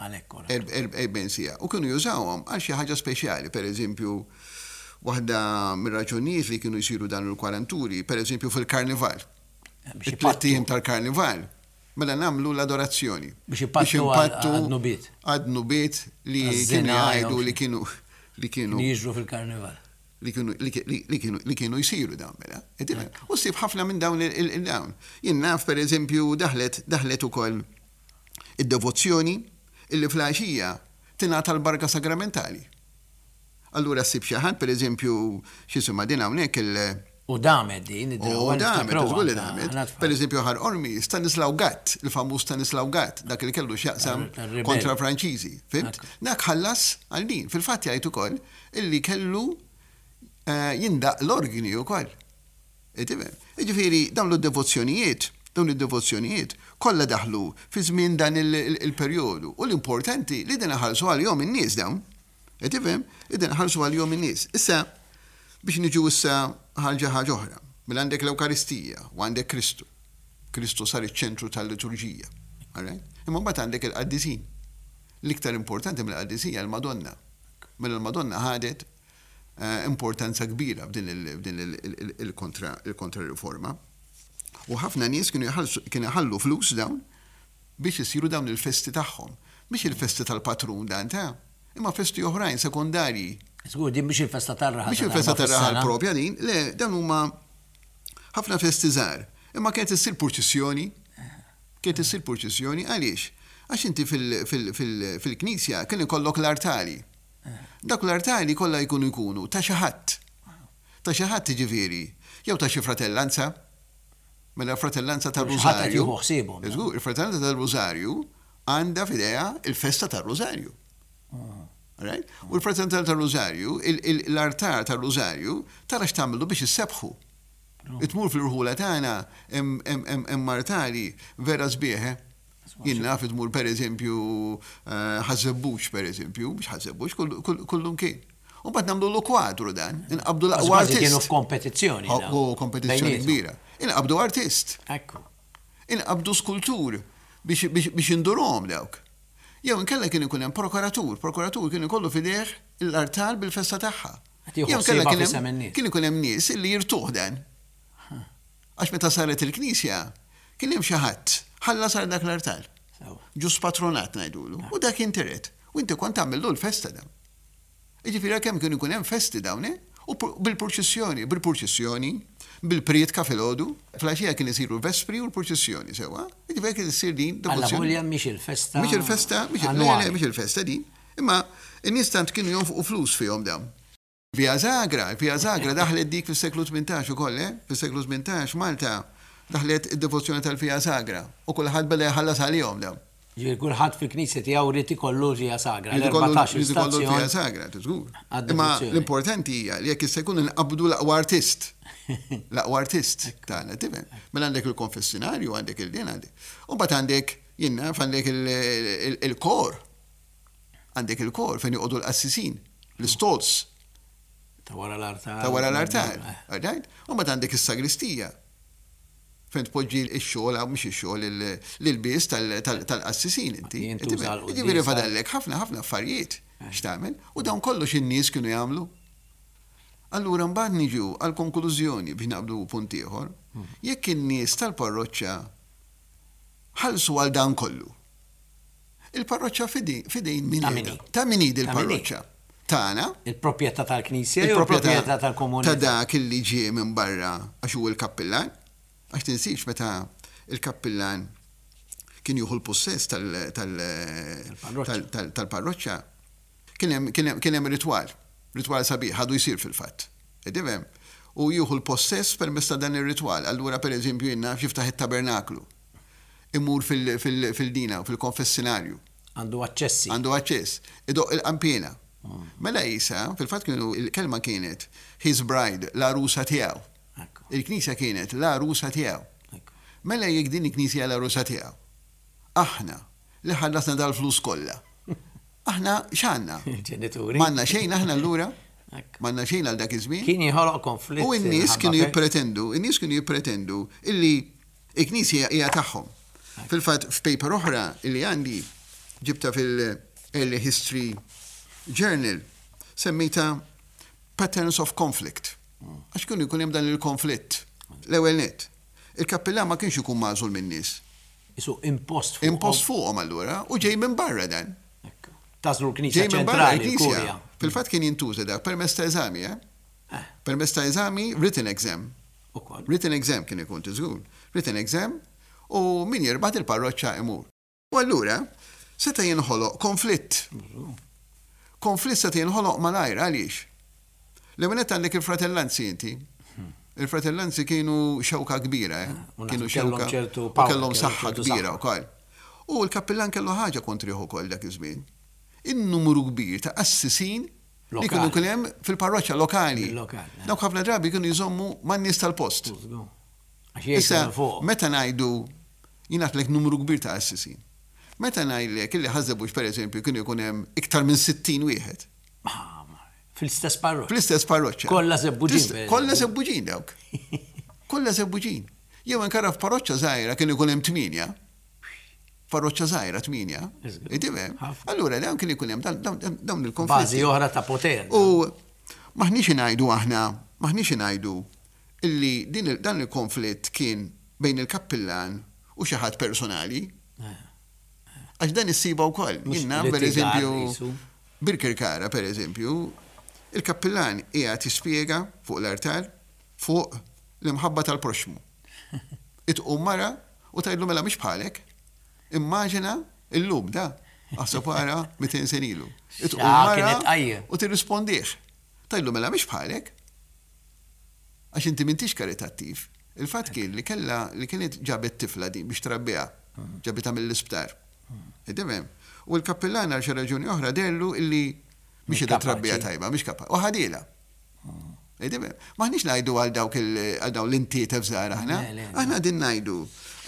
Għalhekk ora. 40 siegħa. U kienu jużawhom għal xi ħaġa speċjali, pereżempju, waħda mir-raġunijiet li kienu jsiru dawn il-kwaranturi, pereżempju fil-karnival. It-tlett ijiem tal-karnival. Mela nagħmlu l-adorazzjoni. Biex ipattu għad-dnubiet. Għad-dnubiet li kienu jgħidu li kienu li kienu. Li jiġru fil-karnival. Li kienu li kienu li kienu jsiru dawn mela. U ssib ħafna minn dawn il-dawn. Jien naf pereżempju daħlet daħlet ukoll id-devozzjoni illi fl-għaxija tingħata l-barka sagramentali. Allura ssib xi ħadd, pereżempju, x'isimha din hawnhekk il. U damet din id-drawwa. U damet, żgur li damet. Pereżempju Ħar Qormi, Stanislaw Gatt, il-famuż Stanislaw Gatt, dak li kellu x'jaqsam kontra l-Franċiżi, fhimt? Dak ħallas għal din. Fil-fatt jgħid ukoll illi kellu jindaqq l-orgni wkoll. Tifhem? Jiġifieri dawn id-devozzjonijiet, dawn id-devozzjonijiet kollha daħlu fi żmien dan il-perjodu u l-importanti li din iħallsu għalihom in-nies dawn. Qed tifhem? Qegħdin iħallsu għalihom in-nies. Issa, biex niġu issa għal xi ħaġa oħra. Mela għandek l-Ewkaristija u għandek Kristu. Kristu sar iċ-ċentru tal-liturġija. All right? Imma mbagħad għandek il-qaddisin. L-iktar importanti mill-qaddisin hija l-Madonna. Mela l-Madonna ħadet importanza kbira f'din il-kontra-riforma. U ħafna nies kienu jħallu flus dawn biex isiru dawn il-festi tagħhom. Mhix il-festi tal-patrun dan ta', imma festi oħrajn sekondarji. Żgur, din mhix il-festa tar-raħal. Mhix il-festa tar-raħal propja din, le, dawn huma ħafna festi żgħar. Imma kienet issir purċissjoni. Kienet issir purċissjoni għaliex? Għax inti fil-knisja kien ikollok l-artali. Dawk l-artali kollha jkunu jkunu ta' xi ħadd. Ta' xi ħadd jiġifieri, jew ta' xi fratellanza, Mela l-Fratellanza tar-Rużarju. Żgur, il-Fratellanza tar-Rużarju għandha f'idejha il-festa tar-Rużarju. Right? U l-Fratellanza tar-Rużarju, l-artar tar-Rużarju, tara x'tagħmlu biex issebbħu. Tmur fl-irħula tagħna hemm artali vera sbieħ, eh? Jien naf tmur pereżempju Ħaż-Żebbuġ pereżempju, mhux Ħaż-Żebbuġ, kullumkien. U mbagħad nagħmlulu kwadru dan, inqabbdu l-aqwa artist. Kienu f'kompetizzjoni. U kompetizzjoni kbira. Inqabbdu artist. Ekku. Inqabbdu skultur biex indurhom dawk. Jew inkella kien ikun hemm prokuratur, prokuratur kien ikollu f'idejh l-artal bil-festa tagħha. Jew inkella kien ikun hemm nies li jirtuh dan. Għax meta saret il-knisja, kien hemm xi ħadd ħallas għal dak l-artal. Ġust patronat ngħidulu. U dak intiret. U inti kont tagħmillu l-festa dan. Jiġifieri għalkemm kienu jkun hemm festi dawn, eh? U bil-purċissjoni, bil-purċissjoni, bil-prietka filgħodu, filgħaxija kien isiru l-vespri u l-purċissjoni, sewwa? Jiġifieri kien issir din devozzjoni. Alla volja mhix il-festa. Mhix il-festa, mhix le, le, mhix il-festa din. Imma n-nies tant kienu jonfqu flus fihom dawn. Via Zagra, Via Zagra daħlet dik fis-seklu 18 ukoll, eh? Fis-seklu 18 Malta daħlet id-devozzjoni tal-Via Sagra u kulħadd beda jħallas għalihom dawn. Ġifieri kulħadd fil-knisja tiegħu ried ikollu l-Via Sagra, l-erbatax il stazzjon. Ried ikollu l-Via Sagra, żgur. Imma l-importanti hija li jekk jista' jkun inqabbdu l-aqwa artist. L-aqwa artist tagħna, tifhem? Mela għandek il-konfessinarju, għandek il-din, għandek. U mbagħad għandek, jien naf, għandek il-kor. Għandek il-kor fejn joqogħdu l-qassisin, l-istalls. Ta' wara l-artal. Ta' wara l-artal. Right? U mbagħad għandek is-sagristija fejn tpoġġi x-xogħol, mhux ix-xogħol, l-ilbies tal-qassisin inti. Jiġifieri fadallek ħafna ħafna affarijiet x'tagħmel u dawn kollox in-nies kienu jagħmlu. Allura mbagħad niġu għall-konklużjoni biex naqbdu punt ieħor, jekk in-nies tal-parroċċa ħallsu għal dan kollu, Il-parroċċa f'idejn min qiegħda? Ta' min hi dil-parroċċa? Tagħna. Il-proprjetà tal-Knisja jew il-proprjetà tal-komunità? Ta' dak li ġie minn barra għax hu l-kappillan. Għax tinsiex meta l-kappillan. kien jieħu l-pussess tal-parroċċa, kien hemm kien hemm ritwal, ritwal sabiħ, għadu jsir fil-fatt. Qed tifhem? U jieħu l-possess permezz ta' dan ir-ritwal. Allura pereżempju jien naf jiftaħ it-tabernaklu, imur fil-dina, fil-konfessinarju. Għandu aċċessi. Għandu aċċess. Idoqq il-qanpiena. Mela Isa, fil-fatt kienu il-kelma kienet his bride, l-għarusa tiegħu. Il-Knisja kienet l-għarusa tiegħu. Mela jekk din il-Knisja hija l-għarusa tiegħu, aħna li ħallasna dal-flus kollha, aħna x'għandna? Il-ġenituri. M'għandna xejn aħna allura? M'għandna xejn għal dak iż-żmien? Kien jinħoloq konflitt. U n-nies kienu jippretendu, in-nies kienu jippretendu illi il-Knisja hija tagħhom. Fil-fatt f'paper oħra illi għandi ġibta fil-Early History Journal semmejta Patterns of Conflict. Għax kienu jkun hemm dan il-konflitt. L-ewwel nett, il-kappillan ma kienx ikun magħżul min-nies. Isu impost fuqhom. Impost fuqhom allura u ġej minn barra dan. Tagħżlu l-Knisja ċentrali, l-Kurja. Fil-fatt kien jintuża dak permezz ta' eżami, eh? eh. Permezz ta' eżami, written exam. Written exam kien ikun tiżgur. Written exam u min jirbaħ il-parroċċa imur. U allura seta' jinħoloq konflitt. Konflitt seta' jinħoloq malajr, għaliex? L-ewwel nett għandek il-fratellanzi inti. Il-fratellanzi kienu xewka kbira, eh? Kienu xewka u kellhom saħħa kbira wkoll. U l-kappillan kellu ħaġa kontrih ukoll dak iż-żmien. In-numru kbir ta' qassisin li kienu kien hemm fil-parroċċa lokali. Dawk ħafna drabi kienu jżommu man-nies tal-post. Issa, meta ngħidu Jien għedtlek numru kbir ta' qassisin. Meta ngħidlek illi Ħaż-Żebbuġ pereżempju kien ikun hemm iktar minn 60 wieħed. Fl-istess parroċċa. Fl-istess parroċċa. Kollha Żebbuġin. Kollha Żebbuġin dawk. Kollha Żebbuġin. Jew inkara f'parroċċa żgħira kien ikun hemm tmienja. Parroċċa żgħira tmienja. Tifhem? Allura dawn kien ikun hemm dawn il-konflitti. Bażi oħra ta' poter. U m'aħniex ingħidu aħna, m'aħniex ingħidu illi din dan il-konflitt kien bejn il-kappillan u xi ħadd personali. Għax dan issibha wkoll. Jien naf pereżempju Birkirkara pereżempju, il-kappillan qiegħed jispjega fuq l-artal fuq l-imħabba tal-proxxmu. Itqum mara u tgħidlu mela mhix bħalek. Immaġina illum da, aħseb ara 200 sena ilu. Itqum mara u tirrispondih. Tgħidlu mela mhix bħalek. Għax inti m'intix karitattiv. Il-fatt kien li kellha li kienet ġabet tifla din biex trabbiha. Ġabitha mill-isptar. Qed tifhem? U l-kappillan għal xi raġuni oħra deherlu illi mhix qiegħda trabbiha tajba, mhix kapaċi. U ħadielha. Qed tifhem? M'aħniex ngħidu għal dawk għal dawn l-intietef żgħar aħna. Aħna qegħdin ngħidu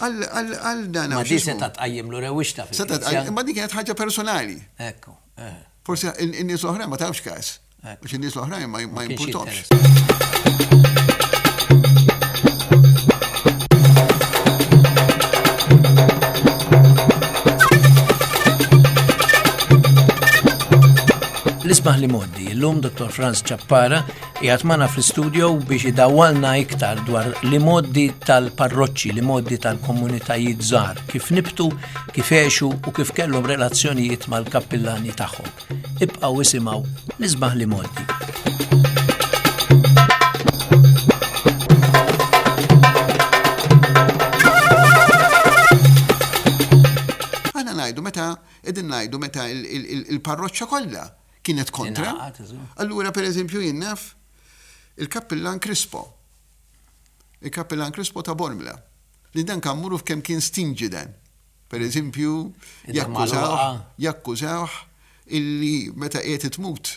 għal dan. Ma di seta' tqajjimlu rewwixta fil-Knisja. Imma din kienet ħaġa personali. Ekku. Forsi in-nies l-oħrajn ma tawx każ. Għax in-nies l-oħrajn ma jimpurtomx. L-isbaħ li moddi, illum Dr. Franz Ċappara qiegħed magħna fl-istudio biex idawwalna iktar dwar li moddi tal-parroċċi, li moddi tal-komunitajiet żgħar, kif nibtu, kif għexu u kif kellhom relazzjonijiet mal-kappillani tagħhom. Ibqgħu isimgħu l-isbaħ li mgħoddi. Aħna ngħidu meta qegħdin ngħidu meta il-parroċċa kollha kienet kontra. Allura pereżempju jien naf il-kappillan Crispo. Il-kappillan Crispo ta' Bormla. Li dan kammuru f'kemm kien stinġi dan. Per eżempju, jakkużawh, jakkużawh illi meta qiegħed tmut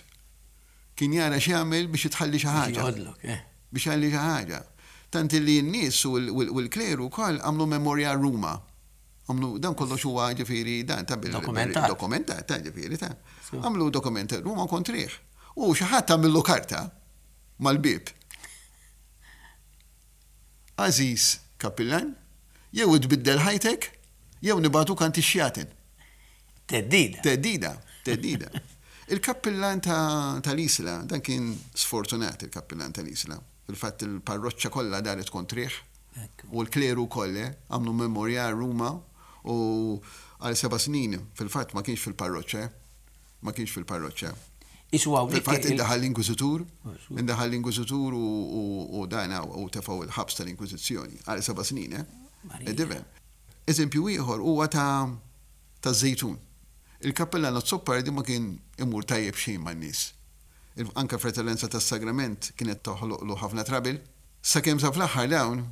kien jara x'jagħmel biex itħalli xi ħaġa. Eh. Biex jħalli xi ħaġa. Tant illi n-nies u l-kleru wkoll għamlu memorial Ruma. Għamlu dan kollox huwa ġifieri dan ta' bil dokumentat ta' ġifieri ta' għamlu dokument Ruma kontrih. U xi ħadd għamillu karta mal-bieb. Għażiż Kappillan, jew tbiddel ħajtek, jew nibagħtuk għand ix-xjaten. Theddida. Theddida, theddida. Il-kappillan tal-Isla, dan kien sfortunat il-kappillan tal-Isla. Fil-fatt il-parroċċa kollha daret kontrih u l-kleru wkoll, eh, għamlu memorial Ruma u għal seba' snin fil-fatt ma kienx fil-parroċċa, eh. Ma kienx fil-parroċċa. Isu hawnhekk. Fil-fatt indaħal l-Inkwiżitur, indaħal l-Inkwiżitur u dan u tefgħu l-ħabs tal-Inkwiżizzjoni għal seba' snin, eh? Tifhem? Eżempju ieħor huwa ta' taż-Żejtun. Il-kappillan Azzopardi ma kien imur tajjeb xejn man-nies. Anke l-Fratellanza tas-Sagrament kienet toħloqlu ħafna trouble. Sakemm sa fl-aħħar dawn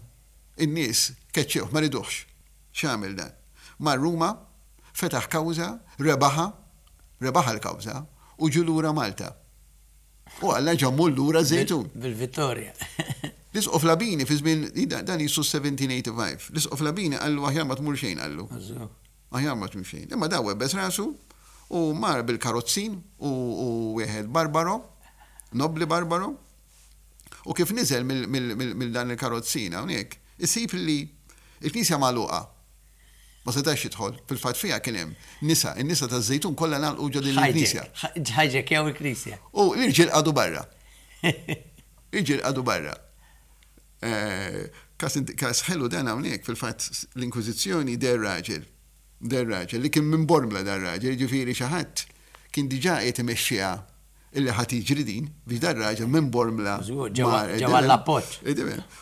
in-nies keċċewh, ma riduhx. X'għamel dan? Mar Ruma, fetaħ kawża, rebaħha, rebaħha l-kawża, u ġie lura Malta. U Alla ġammu lura ż-Żejtun. Bil-vittorja. L-Isqof Labini fi żmien, dan qisu 1785, l-Isqof Labini qallu aħjar ma tmur xejn qallu. Aħjar ma tmur xejn. Imma dan webbes rasu u mar bil-karozzin u wieħed Barbaro, nobbli Barbaro, u kif niżel mill dan il-karozzin hawnhekk, isib li l-knisja magħluqa. Ma setax jidħol. Fil-fatt fiha kien hemm nisa, in-nisa taż-Żejtun kollha ngħalqu ġo din il-knisja. Ħajġekjaw il-knisja. U l-irġiel qagħdu barra. L-irġiel qagħdu barra. Każ ħelu dan hawnhekk, fil-fatt l-Inkwiżizzjoni deher raġel, deher raġel li kien minn Bormla dan raġel, jiġifieri xi ħadd kien diġà qiegħed imexxiha illi ħa tiġri din, biex dan raġel minn Bormla. Żgur, ġew għall-appoġġ.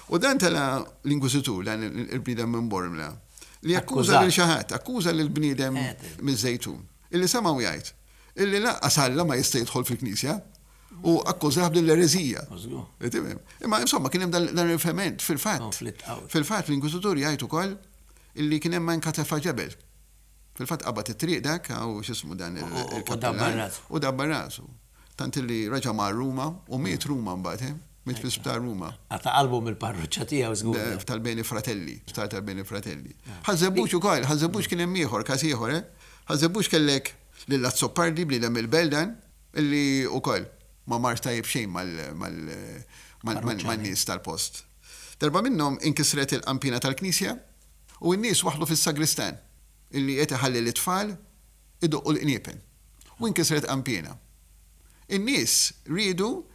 U dan tela' l-Inkwiżitur, dan il-bniedem minn Bormla, li akkuża lil xi ħadd, akkuża lill-bniedem miż-Żejtun, illi semgħu jgħid illi lanqas Alla ma jista' jidħol fil-Knisja, u akkużah b'din l-ereżija. Imma insomma kien hemm dan il-ferment fil-fatt. Fil-fatt l-Inkwiżitur jgħid ukoll illi kien hemm anke tefa' ġebel. Fil-fatt qabad it-triq dak, hawn x'ismu dan il-kappillan. U dabbar rasu. Tant illi reġa' mar Ruma u miet Ruma mbagħad, eh? Miet fl-isptar Ruma. Qata' qalbu mill-parroċċa tiegħu żgur. Tal-Beni Fratelli, sptar tal-Beni Fratelli. Ħaż-Żebbuġ ukoll, Ħaż-Żebbuġ kien hemm ieħor, każ ieħor, eh? Ħaż-Żebbuġ kellek lil Azzopardi, bniedem mill-Belt dan, illi ukoll ma marx tajjeb xejn man-nies tal-post. Darba minnhom inkisret il-qanpiena tal-knisja u n-nies waħħlu fis-sagristan illi qed iħalli lit-tfal idoqqu l-qniepen. U inkisret qanpiena. In-nies riedu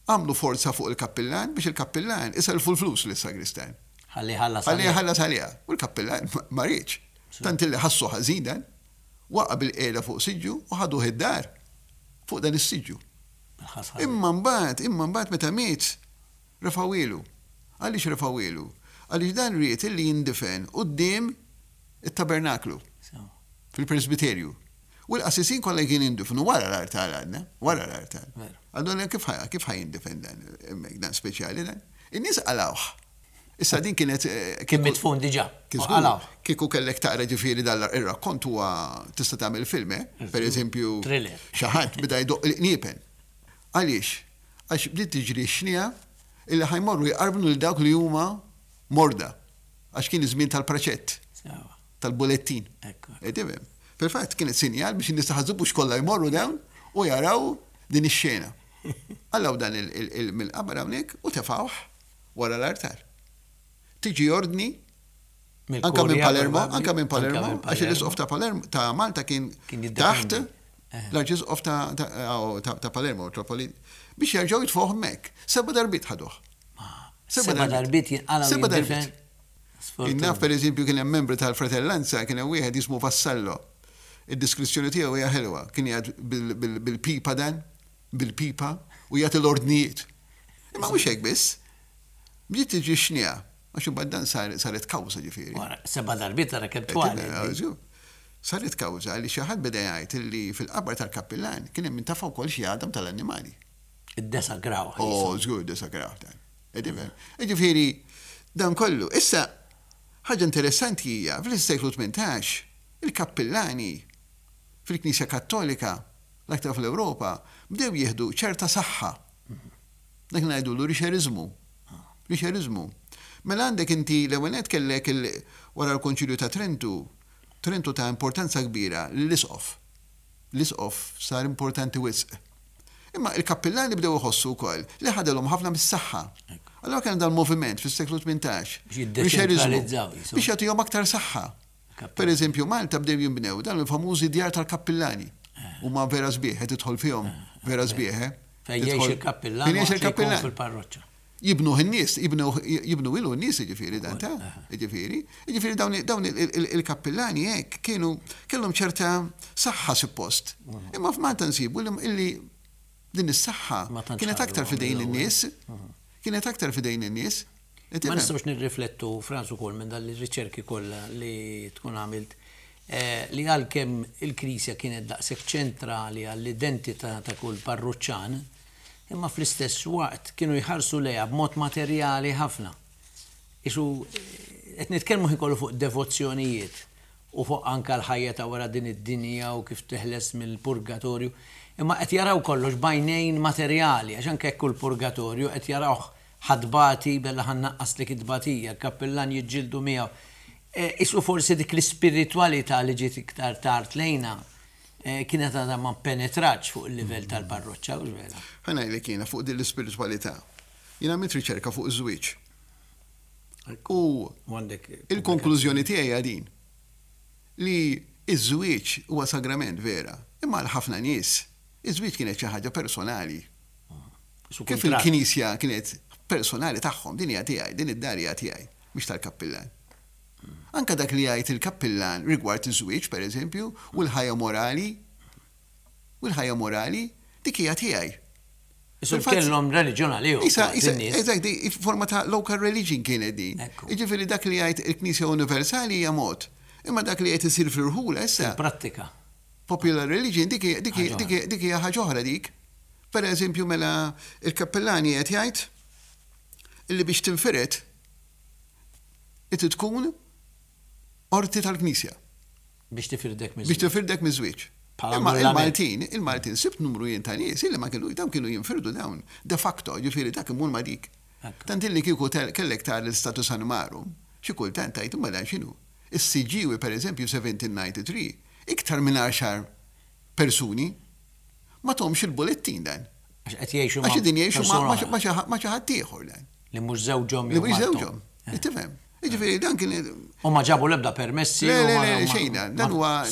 għamlu forza fuq il-kappillan biex il-kappillan isellfu l-flus lis-sagristan. Ħalli jħallas għaliha. Ħalli jħallas għaliha. U l-kappillan ma riedx. Tant illi ħassu ħażin dan, waqa' bil-qiegħda fuq siġġu u ħaduh id-dar fuq dan is-siġġu. Imma mbagħad, imma mbagħad meta miet, Refgħuhielu. Għaliex refgħuhielu? Għaliex dan ried illi jindifen quddiem it-tabernaklu, fil-presbiterju. U l-qassisin kollha kienu jindifnu wara l-artal għadna, wara l-artal. Allura kif kif ħa jindifen dan hemmhekk dan speċjali dan? In-nies qalgħuh. Issa din kienet Kien midfun diġà. Qalgħuh. Kieku kellek taqra ġifieri dan ir-rakkont huwa tista' tagħmel film, eh? Per eżempju, xi ħadd beda jdoqq il-qniepen. Għaliex? Għax bdiet tiġri x-xniegħa illi ħa jmorru jqarbnu lil dawk li huma morda. Għax kien iż-żmien tal-preċett. Tal-bulettin. Tifhem? Fil-fatt kienet sinjal biex in-nies ta' Ħaż-Żebbuġ kollha jmorru dawn u jaraw din ix-xena. Qalgħu dan mill-qabar hawnhekk u tefgħuh wara l-artal. Tiġi ordni anke minn Palermo, anke minn Palermo, għax l-isqof ta' Palermo ta' Malta kien taħt l-arċisqof ta' Palermo, Metropolit, biex jerġgħu jitfgħuh hemmhekk. Seba' darbiet ħaduh. Seba' darbiet jinqalgħu. Seba' darbiet. Naf pereżempju kien hemm membri tal-fratellanza, kien hemm wieħed jismu Vassallo. Id-deskrizzjoni tiegħu hija ħelwa, kien jgħid bil-pipa dan, bil-pipa u jagħti l-ordnijiet. Imma mhux hekk biss. Bdiet tiġi x-xniegħa Għax imbagħad dan saret kawża ġifieri. Wara seba' darbiet ara kemm twal. Saret kawża li xi ħadd beda jgħid li fil-qabar tal-kappillan kien hemm intafa' wkoll xi għadam tal-annimali. Iddesagraw. Oh, żgur iddesagraw dan. Ġifieri dan kollu. Issa ħaġa interessanti hija fl-seklu 18 il-kappillani fil-Knisja Kattolika l-aktar fl-Ewropa bdew jieħdu ċerta saħħa. Dak ngħidulu rixeriżmu. Rixeriżmu. Mela għandek inti l-ewwel nett kellek il wara l-Konċilju ta' Trentu, Trentu ta importanza kbira lill-isqof. L-isqof sar importanti wisq. Imma il-kappillani bdew iħossu wkoll li ħadilhom ħafna mis-saħħa. Allura kien hemm dal-moviment fis-seklu 18. Biex jiddeċentralizzaw. Biex jagħtihom aktar saħħa. Per eżempju, Malta bdew jinbnew dawn il-famużi djar tal-kappillani. Huma vera sbieħ, qed tidħol fihom vera sbieħ, eh? Fejn jgħix il-kappillan. Fejn jgħix il-kappillan. Fil-parroċċa. Jibnuh in-nies, jibnu ilu n-nies jiġifieri dan ta' jiġifieri. Jiġifieri dawn il-kappillani hekk kienu kellhom ċerta saħħa suppost. Imma f'Malta nsibu li din is-saħħa kienet aktar f'idejn in-nies, kienet aktar f'idejn in-nies. Ma nistgħux nirriflettu, Frans, ukoll minn dan ir-riċerki kollha li tkun għamilt, li għalkemm il-Knisja kienet daqshekk ċentrali għall-identità ta' kull parruċċan, imma fl-istess waqt kienu jħarsu lejha b'mod materjali ħafna. Qisu qed nitkellmu ħin kollu fuq devozzjonijiet u fuq anke l-ħajja ta' wara din id-dinja u kif teħles mill-purgatorju, imma qed jaraw kollox b'għajnejn materjali, għax anke jekk hu l-purgatorju qed jarawh Ħa tbati, bella ħa nnaqqaslek it-tbatija, l-kappillan jiġġieldu miegħu. Qisu forsi dik l-ispiritwalità li ġiet iktar tard lejna kienet għadha ma ppenetratx fuq il-livell tal-parroċċa, hux vera? Ħa ngħidlek jiena fuq din l-ispiritwalità. Jien għamilt riċerka fuq iż-żwieġ. U il-konklużjoni tiegħi hija din, li ż-żwieġ huwa sagrament vera, imma għal ħafna nies iż-żwieġ kienet xi ħaġa personali. Kif il-Knisja kienet personali tagħhom, din hija tiegħi, din id-dar hija tiegħi, mhix tal-kappillan. Anke dak li jgħid il-kappillan rigward iż-żwieġ, pereżempju, u l-ħajja morali, u l-ħajja morali, dik hija tiegħi. Isu kellhom reliġjon għalihom. Isa, isa, eżatt, forma ta' local religion kienet din. Jiġifieri dak li jgħid il-Knisja Universali hija mod. Imma dak li qed isir fl-irħula issa. Fil-prattika. Popular religion dik hija ħaġa oħra dik. Per eżempju mela il-kappillani qed jgħid illi biex tinfired irid tkun qorti tal-Knisja. Biex tifirdek miż-żwieġ. Biex tifirdek miż-żwieġ. Imma il-Maltin, il-Maltin sibt numru jien ta' nies illi ma kienu dawn kienu jinfirdu dawn de facto, ġifieri dak imur ma' dik. Tant illi kieku kellek tara l-istatus animarum, xi kultant tgħid imma dan x'inhu? Is-Siġġiewi per eżempju 1793, iktar minn għaxar persuni Ma thomx il-bulettin dan. Għax qed jgħixu ma' Għax qegħdin jgħixu ma' xi ħadd ieħor dan. Li mhux żewġhom jew. Li mhux żewġhom. Tifhem? Jiġifieri dan kien. U ma ġabu l-ebda permessi. Le, le, le, xejn dan. Dan huwa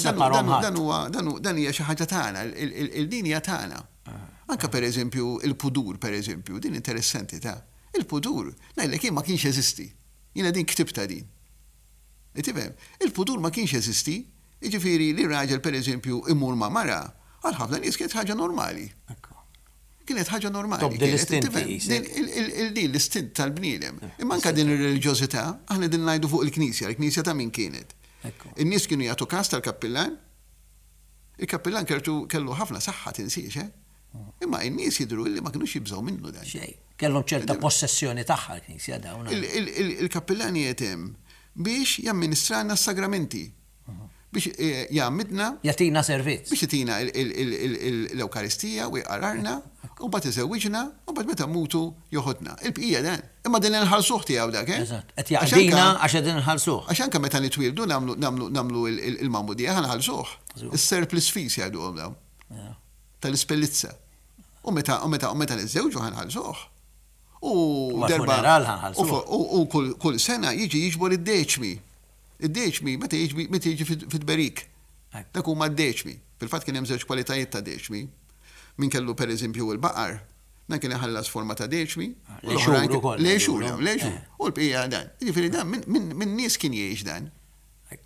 dan huwa dan hija xi ħaġa tagħna, il-din hija tagħna. Anke pereżempju il-pudur pereżempju, din interessanti ta' il-pudur, ngħidlek jien ma kienx jeżisti. Jiena din ktibtha din. Tifhem? Il-pudur ma kienx jeżisti. Jiġifieri li raġel pereżempju imur ma' mara, għal ħafna nies kienet ħaġa normali. Kienet ħaġa normali. Tobdi l-istint qisek. Din l-istint tal-bniedem. Imma anke din ir-reliġjożità, aħna qegħdin ngħidu fuq il-Knisja, il-Knisja ta' min kienet? In-nies kienu jagħtu kas tal-kappillan. Il-kappillan kellu ħafna saħħa tinsiex, eh? Imma in-nies jidhru li ma kinux jibżgħu minnu dan. Xejn. Kellhom ċerta possessjoni tagħha l-Knisja dawn. Il-kappillan qiegħed hemm biex jamministralna s-sagramenti. Biex jgħammidna. Jagħtina servizz. Biex jagħtina l-Ewkaristija u jqararna, u mbagħad iżewwiġna, u mbagħad meta mmutu joħodna. Il-bqija dan. Imma din inħallsuh tiegħu dak, eh? Eżatt. Qed jaqdina għax qegħdin inħallsuh. Għax anke meta nitwieldu nagħmlu l-magħmudija ħa nħallsuh. Is-surplus fees jgħiduhom dawn. Tal-ispellizza. U meta u meta u meta niżżewġu ħa nħallsuh. U darba. U kull sena jiġi jiġbor id-deċmi. Id-deċmi meta jiġi meta jiġi fit-tberik. Dak huma d-deċmi. Fil-fatt kien hemm żewġ kwalitajiet ta' deċmi. Min kellu pereżempju l-baqar, dan kien iħallas forma ta' deċmi. L-għexur ukoll. L-għexur, l-għexur. U l-bqija dan. Jiġifieri dan minn nies kien jgħix dan.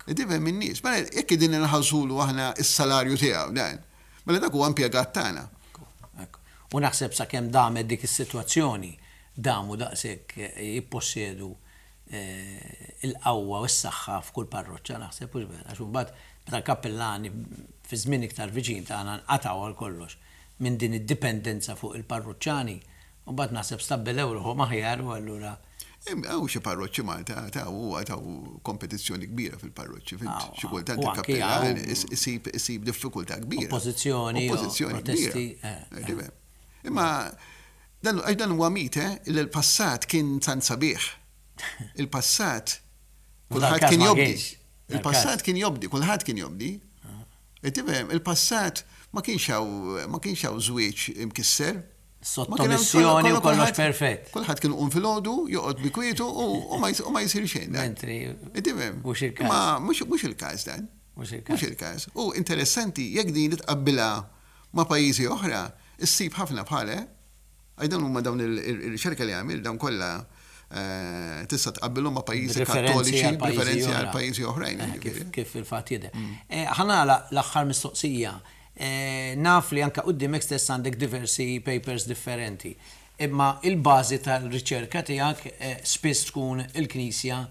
Tifhem minn nies. Mela jekk qegħdin inħallsulu aħna s-salarju tiegħu dan, mela dak huwa impjegat tagħna. U naħseb sakemm damet dik is-sitwazzjoni, damu daqshekk jippossjedu il-qawwa u s-saħħa f'kull parroċċa naħseb, hux vera? Għax imbagħad meta l-kappillani fi żmien iktar viċin tagħna nqatgħu għal kollox minn din id-dipendenza fuq il-parruċċani, imbagħad naħseb stabbilew ruħhom aħjar u allura. Hawn xi parroċċi Malta ta' u hawn kompetizzjoni kbira fil-parroċċi, fhimt? Xi kultant il-kappillan isib isib diffikultà kbira. Oppożizzjoni, Oppożizzjoni kbira. Imma dan għax dan huwa mit, eh, li l-passat kien tant sabiħ. Il-passat kulħadd kien jobdi. Il-passat kien jobdi, kulħadd kien jobdi. Tifhem, il-passat ma kienx hawn ma kienx hawn żwieġ imkisser. Sottomissjoni u kollox perfett. Kulħadd kien iqum filgħodu, joqgħod bi kwietu u ma jsir xejn. Mentri. Tifhem? Mhux il-każ. Ma mhux il-każ dan. Mhux il-każ. Mhux il-każ. U interessanti jekk din tqabbilha ma' pajjiżi oħra, issib ħafna bħal, eh? Għax dawn huma dawn ir-riċerka li għamilt dawn kollha tista' tqabbilhom ma' pajjiżi kattoliċi b'riferenzi għal pajjiżi oħrajn. Kif fil-fatt jidher. Ħa nagħlaq l-aħħar mistoqsija. Naf li anke quddiemek stess għandek diversi papers differenti. Imma il-bażi tal-riċerka tiegħek spiss tkun il-Knisja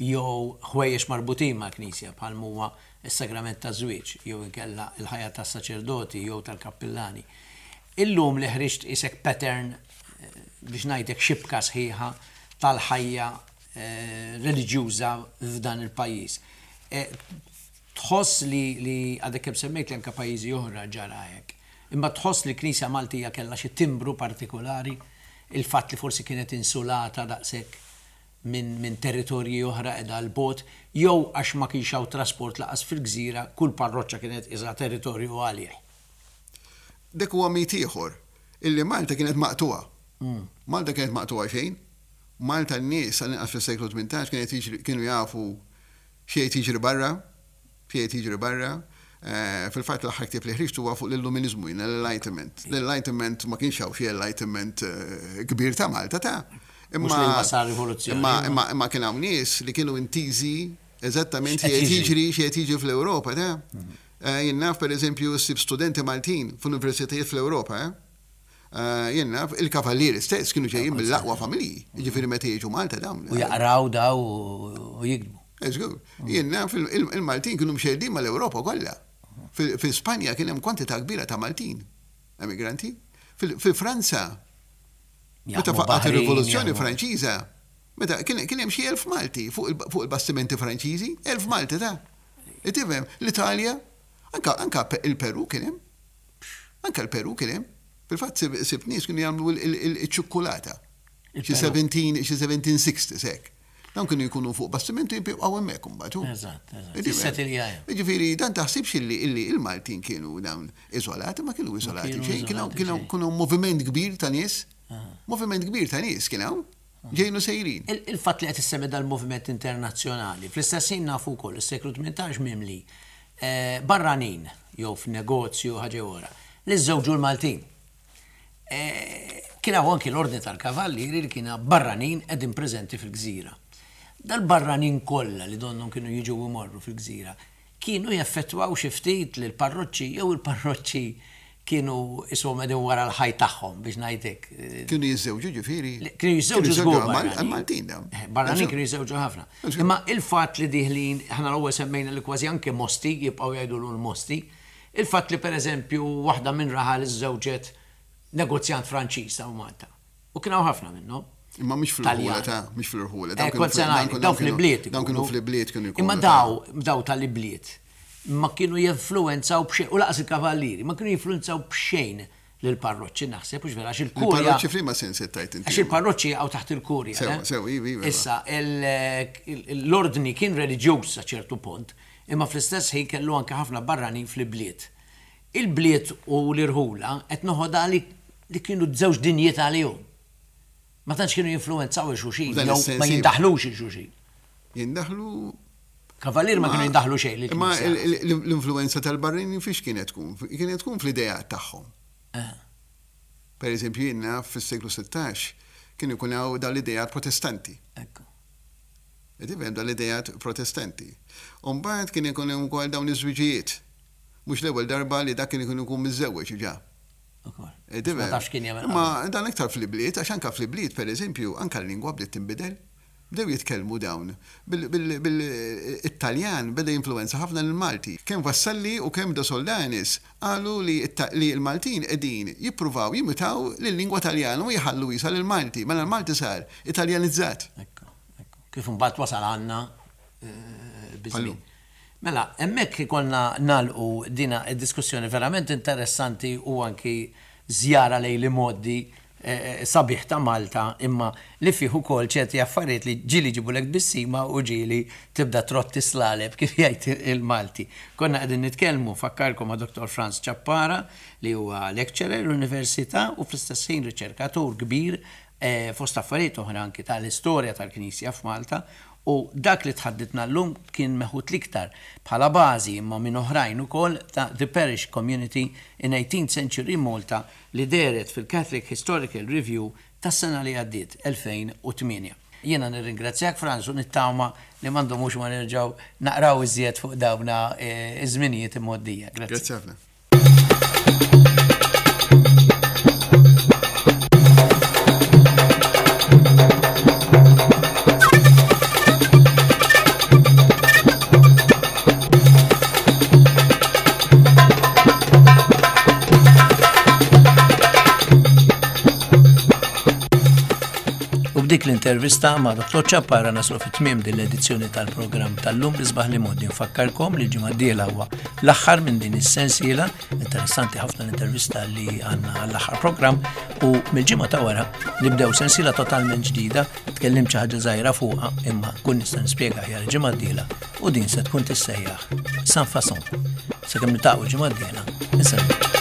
jew ħwejjeġ marbutin mal-Knisja bħal m'huwa s-sagrament taż-żwieġ jew inkella l-ħajja tas-saċerdoti jew tal-kappillani. Illum li ħriġt qisek pattern biex ngħidlek xibka sħiħa tal-ħajja reliġjuża f'dan il-pajjiż. Tħoss li li għadek kemm semmejt li anke pajjiżi oħra ġara hekk. Imma tħoss li l-Knisja Maltija kellha xi timbru partikolari, il-fatt li forsi kienet insulata daqshekk minn minn territorji oħra qiegħda 'l bogħod, jew għax ma kienx hawn trasport lanqas fil-gżira, kull parroċċa kienet qisha territorju għalih. Dak huwa mit ieħor, illi Malta kienet maqtugħa. Malta kienet maqtugħa xejn. Malta n-nies, għall-inqas fis-seklu 18, kienet jiġri kienu jafu x'qiegħed jiġri barra, x'qiegħed jiġri barra. Fil-fatt l-aħħar ktieb li ħriġt huwa fuq l-Illuminizmu jiena, l-Enlightenment. L-Enlightenment ma kienx hawn xi Enlightenment kbir ta' Malta ta'. Mhux li wasal rivoluzzjoni. Imma imma imma kien hawn nies li kienu intiżi eżattament x'qiegħed jiġri x'qiegħed jiġri fl-Ewropa ta'. Jien naf pereżempju ssib studenti Maltin f'universitajiet fl-Ewropa, Jien naf, il-kavallieri stess kienu ġejjin mill-aqwa familji, jiġifieri meta jiġu Malta dawn. U jaqraw daw u jiktbu. Żgur. Jien naf il-Maltin kienu mxerrdin mal-Ewropa kollha. Fi Spanja kien hemm kwantità kbira ta' Maltin emigranti. Fi Franza, meta faqqgħet ir-Rivoluzzjoni Franċiża, meta kien hemm xi 1000 Malti fuq il-bastimenti Franċiżi, 1000 Malti ta'. Tifhem, l-Italja, anke il-Peru kien hemm. Anke l-Peru kien hemm. Fil-fatt sibt nies kienu jagħmlu l-ċukkulata. Xi 1760 hekk. Dawn kienu jkunu fuq bastimenti jibqgħu hemmhekk imbagħad. Eżatt, eżatt. Jissetilja hemm. Jiġifieri dan taħsibx illi illi il-Maltin kienu dawn iżolati, ma kienu iżolati xejn, kienu kienu moviment kbir ta' nies. Moviment kbir ta' nies kien hawn. Ġejjin u sejrin. Il-fatt li qed issemmi dal-moviment internazzjonali, fl-istess ħin nafu wkoll is-seklu 18 mimli barranin jew f'negozju ħaġa jew oħra li żżewġu l-Maltin. Kien hawn anki l-Ordni tal-Kavallieri li kien barranin qegħdin preżenti fil-gżira. Dal-barranin kollha li donnhom kienu jiġu u jmorru fil-gżira, kienu jeffettwaw xi ftit lill-parroċċi jew il-parroċċi kienu qishom qegħdin wara l-ħajt tagħhom biex ngħid hekk. Kienu jiżżewġu ġifieri? Kienu jiżżewġu żgur barranin. Maltin dawn. Barranin kienu jiżżewġu ħafna. Imma il-fatt li dieħlin, aħna l-ewwel semmejna li kważi anke Mosti, jibqgħu jgħidulu l-Mosti, il-fatt li pereżempju waħda minn raħal iżżewġet negozjant Franċiż hawn Malta. U kien hawn ħafna minnhom. Imma mhux fl-irħula ta' mhux fl-irħula. Eh, kont se ngħid, dawn fl-ibliet. Dawn kienu fl-ibliet kienu jkunu. Imma daw, daw tal-ibliet ma kienu jinfluwenzaw b'xejn, u laqas il-kavallieri, ma kienu jinfluwenzaw b'xejn lill-parroċċi naħseb, hux vera, għax il-kurja. Il-parroċċi f'liema sens qed tgħid inti? Għax il-parroċċi jaqgħu taħt il-kurja. Sewwa, sewwa, iva, iva. Issa, l-ordni kien reliġjuż sa ċertu punt, imma fl-istess ħin kellu anke ħafna barranin fl-ibliet. Il-bliet u l-irħula qed noħodha li li kienu żewġ dinjiet għalihom. Ma tantx kienu jinfluwenzaw 'il xulxin jew ma jindaħlux 'il xulxin. Jindaħlu Kavallieri ma kienu jindaħlu xejn lill-Knisja. Imma l-influwenza tal-barranin fiex kienet tkun? Kienet tkun fl-ideat tagħhom. Per eżempju jien naf fis-seklu 16 kien ikun hawn dawn l-ideat Protestanti. Ekku. Qed tifhem dawn l-ideat Protestanti. U mbagħad kien ikun hemm ukoll dawn iż-żwiġijiet. Mhux l-ewwel darba li dak kien ikun ikun miżżewweġ diġà. Ukoll. Ma tafx kien jagħmel. Imma dan iktar fl-ibliet, għax anke fl-ibliet pereżempju, anke l-lingwa bdiet tinbidel. Bdew jitkellmu dawn bil-Taljan beda jinfluwenza ħafna lill-Malti. Kemm Vassalli u kemm De Soldanis qalu li l-Maltin qegħdin jippruvaw jimitaw lil-lingwa Taljana u jħallu qisha lill-Malti. Mela l-Malti sar Italjanizzat. Ekku, ekku. Kif imbagħad wasal għandna biż-żmien. Mela, hemmhekk ikollna nagħlqu dina d-diskussjoni verament interessanti u anki żjara lejn l-imgħoddi sabiħ ta' Malta imma li fih ukoll ċerti affarijiet li ġieli jġibulek tbissima u ġieli tibda trodd is-slaleb kif jgħid il-Malti. Konna qegħdin nitkellmu, nfakkarkom ma' Dottor Frans Ciappara li huwa lecturer l-Università u fl-istess ħin riċerkatur kbir fost affarijiet oħra anki tal-istorja tal-Knisja f'Malta u dak li tħadditna llum kien meħud l-iktar bħala bażi imma minn oħrajn ukoll ta' The Parish Community in Eighteenth Century Malta li dehret fil-Catholic Historical Review tas-sena li għaddiet, 2008. Jiena nirringrazzjak Frans u nittama li ma ndumux ma nerġgħu naqraw iżjed fuq dawna ż-żminijiet imgħoddija. Grazzi. Grazzi ħafna. l-intervista ma' Dr. Ciappara naslu fi tmiem din l-edizzjoni tal-programm tal-lum l-isbaħ l-imgħoddi. Nfakkarkom li l-ġimgħa d-dieħla huwa l-aħħar minn din is-sensiela, interessanti ħafna l-intervista li għandna għall-aħħar programm u mill-ġimgħa ta' wara nibdew sensiela totalment ġdida, tkellimt xi ħaġa żgħira fuqha imma kun nista' nispjega aħjar il-ġimgħa d-dieħla u din se tkun tissejjaħ San Fason. Sakemm niltaqgħu l-ġimgħa d-dieħla, insellmilkom.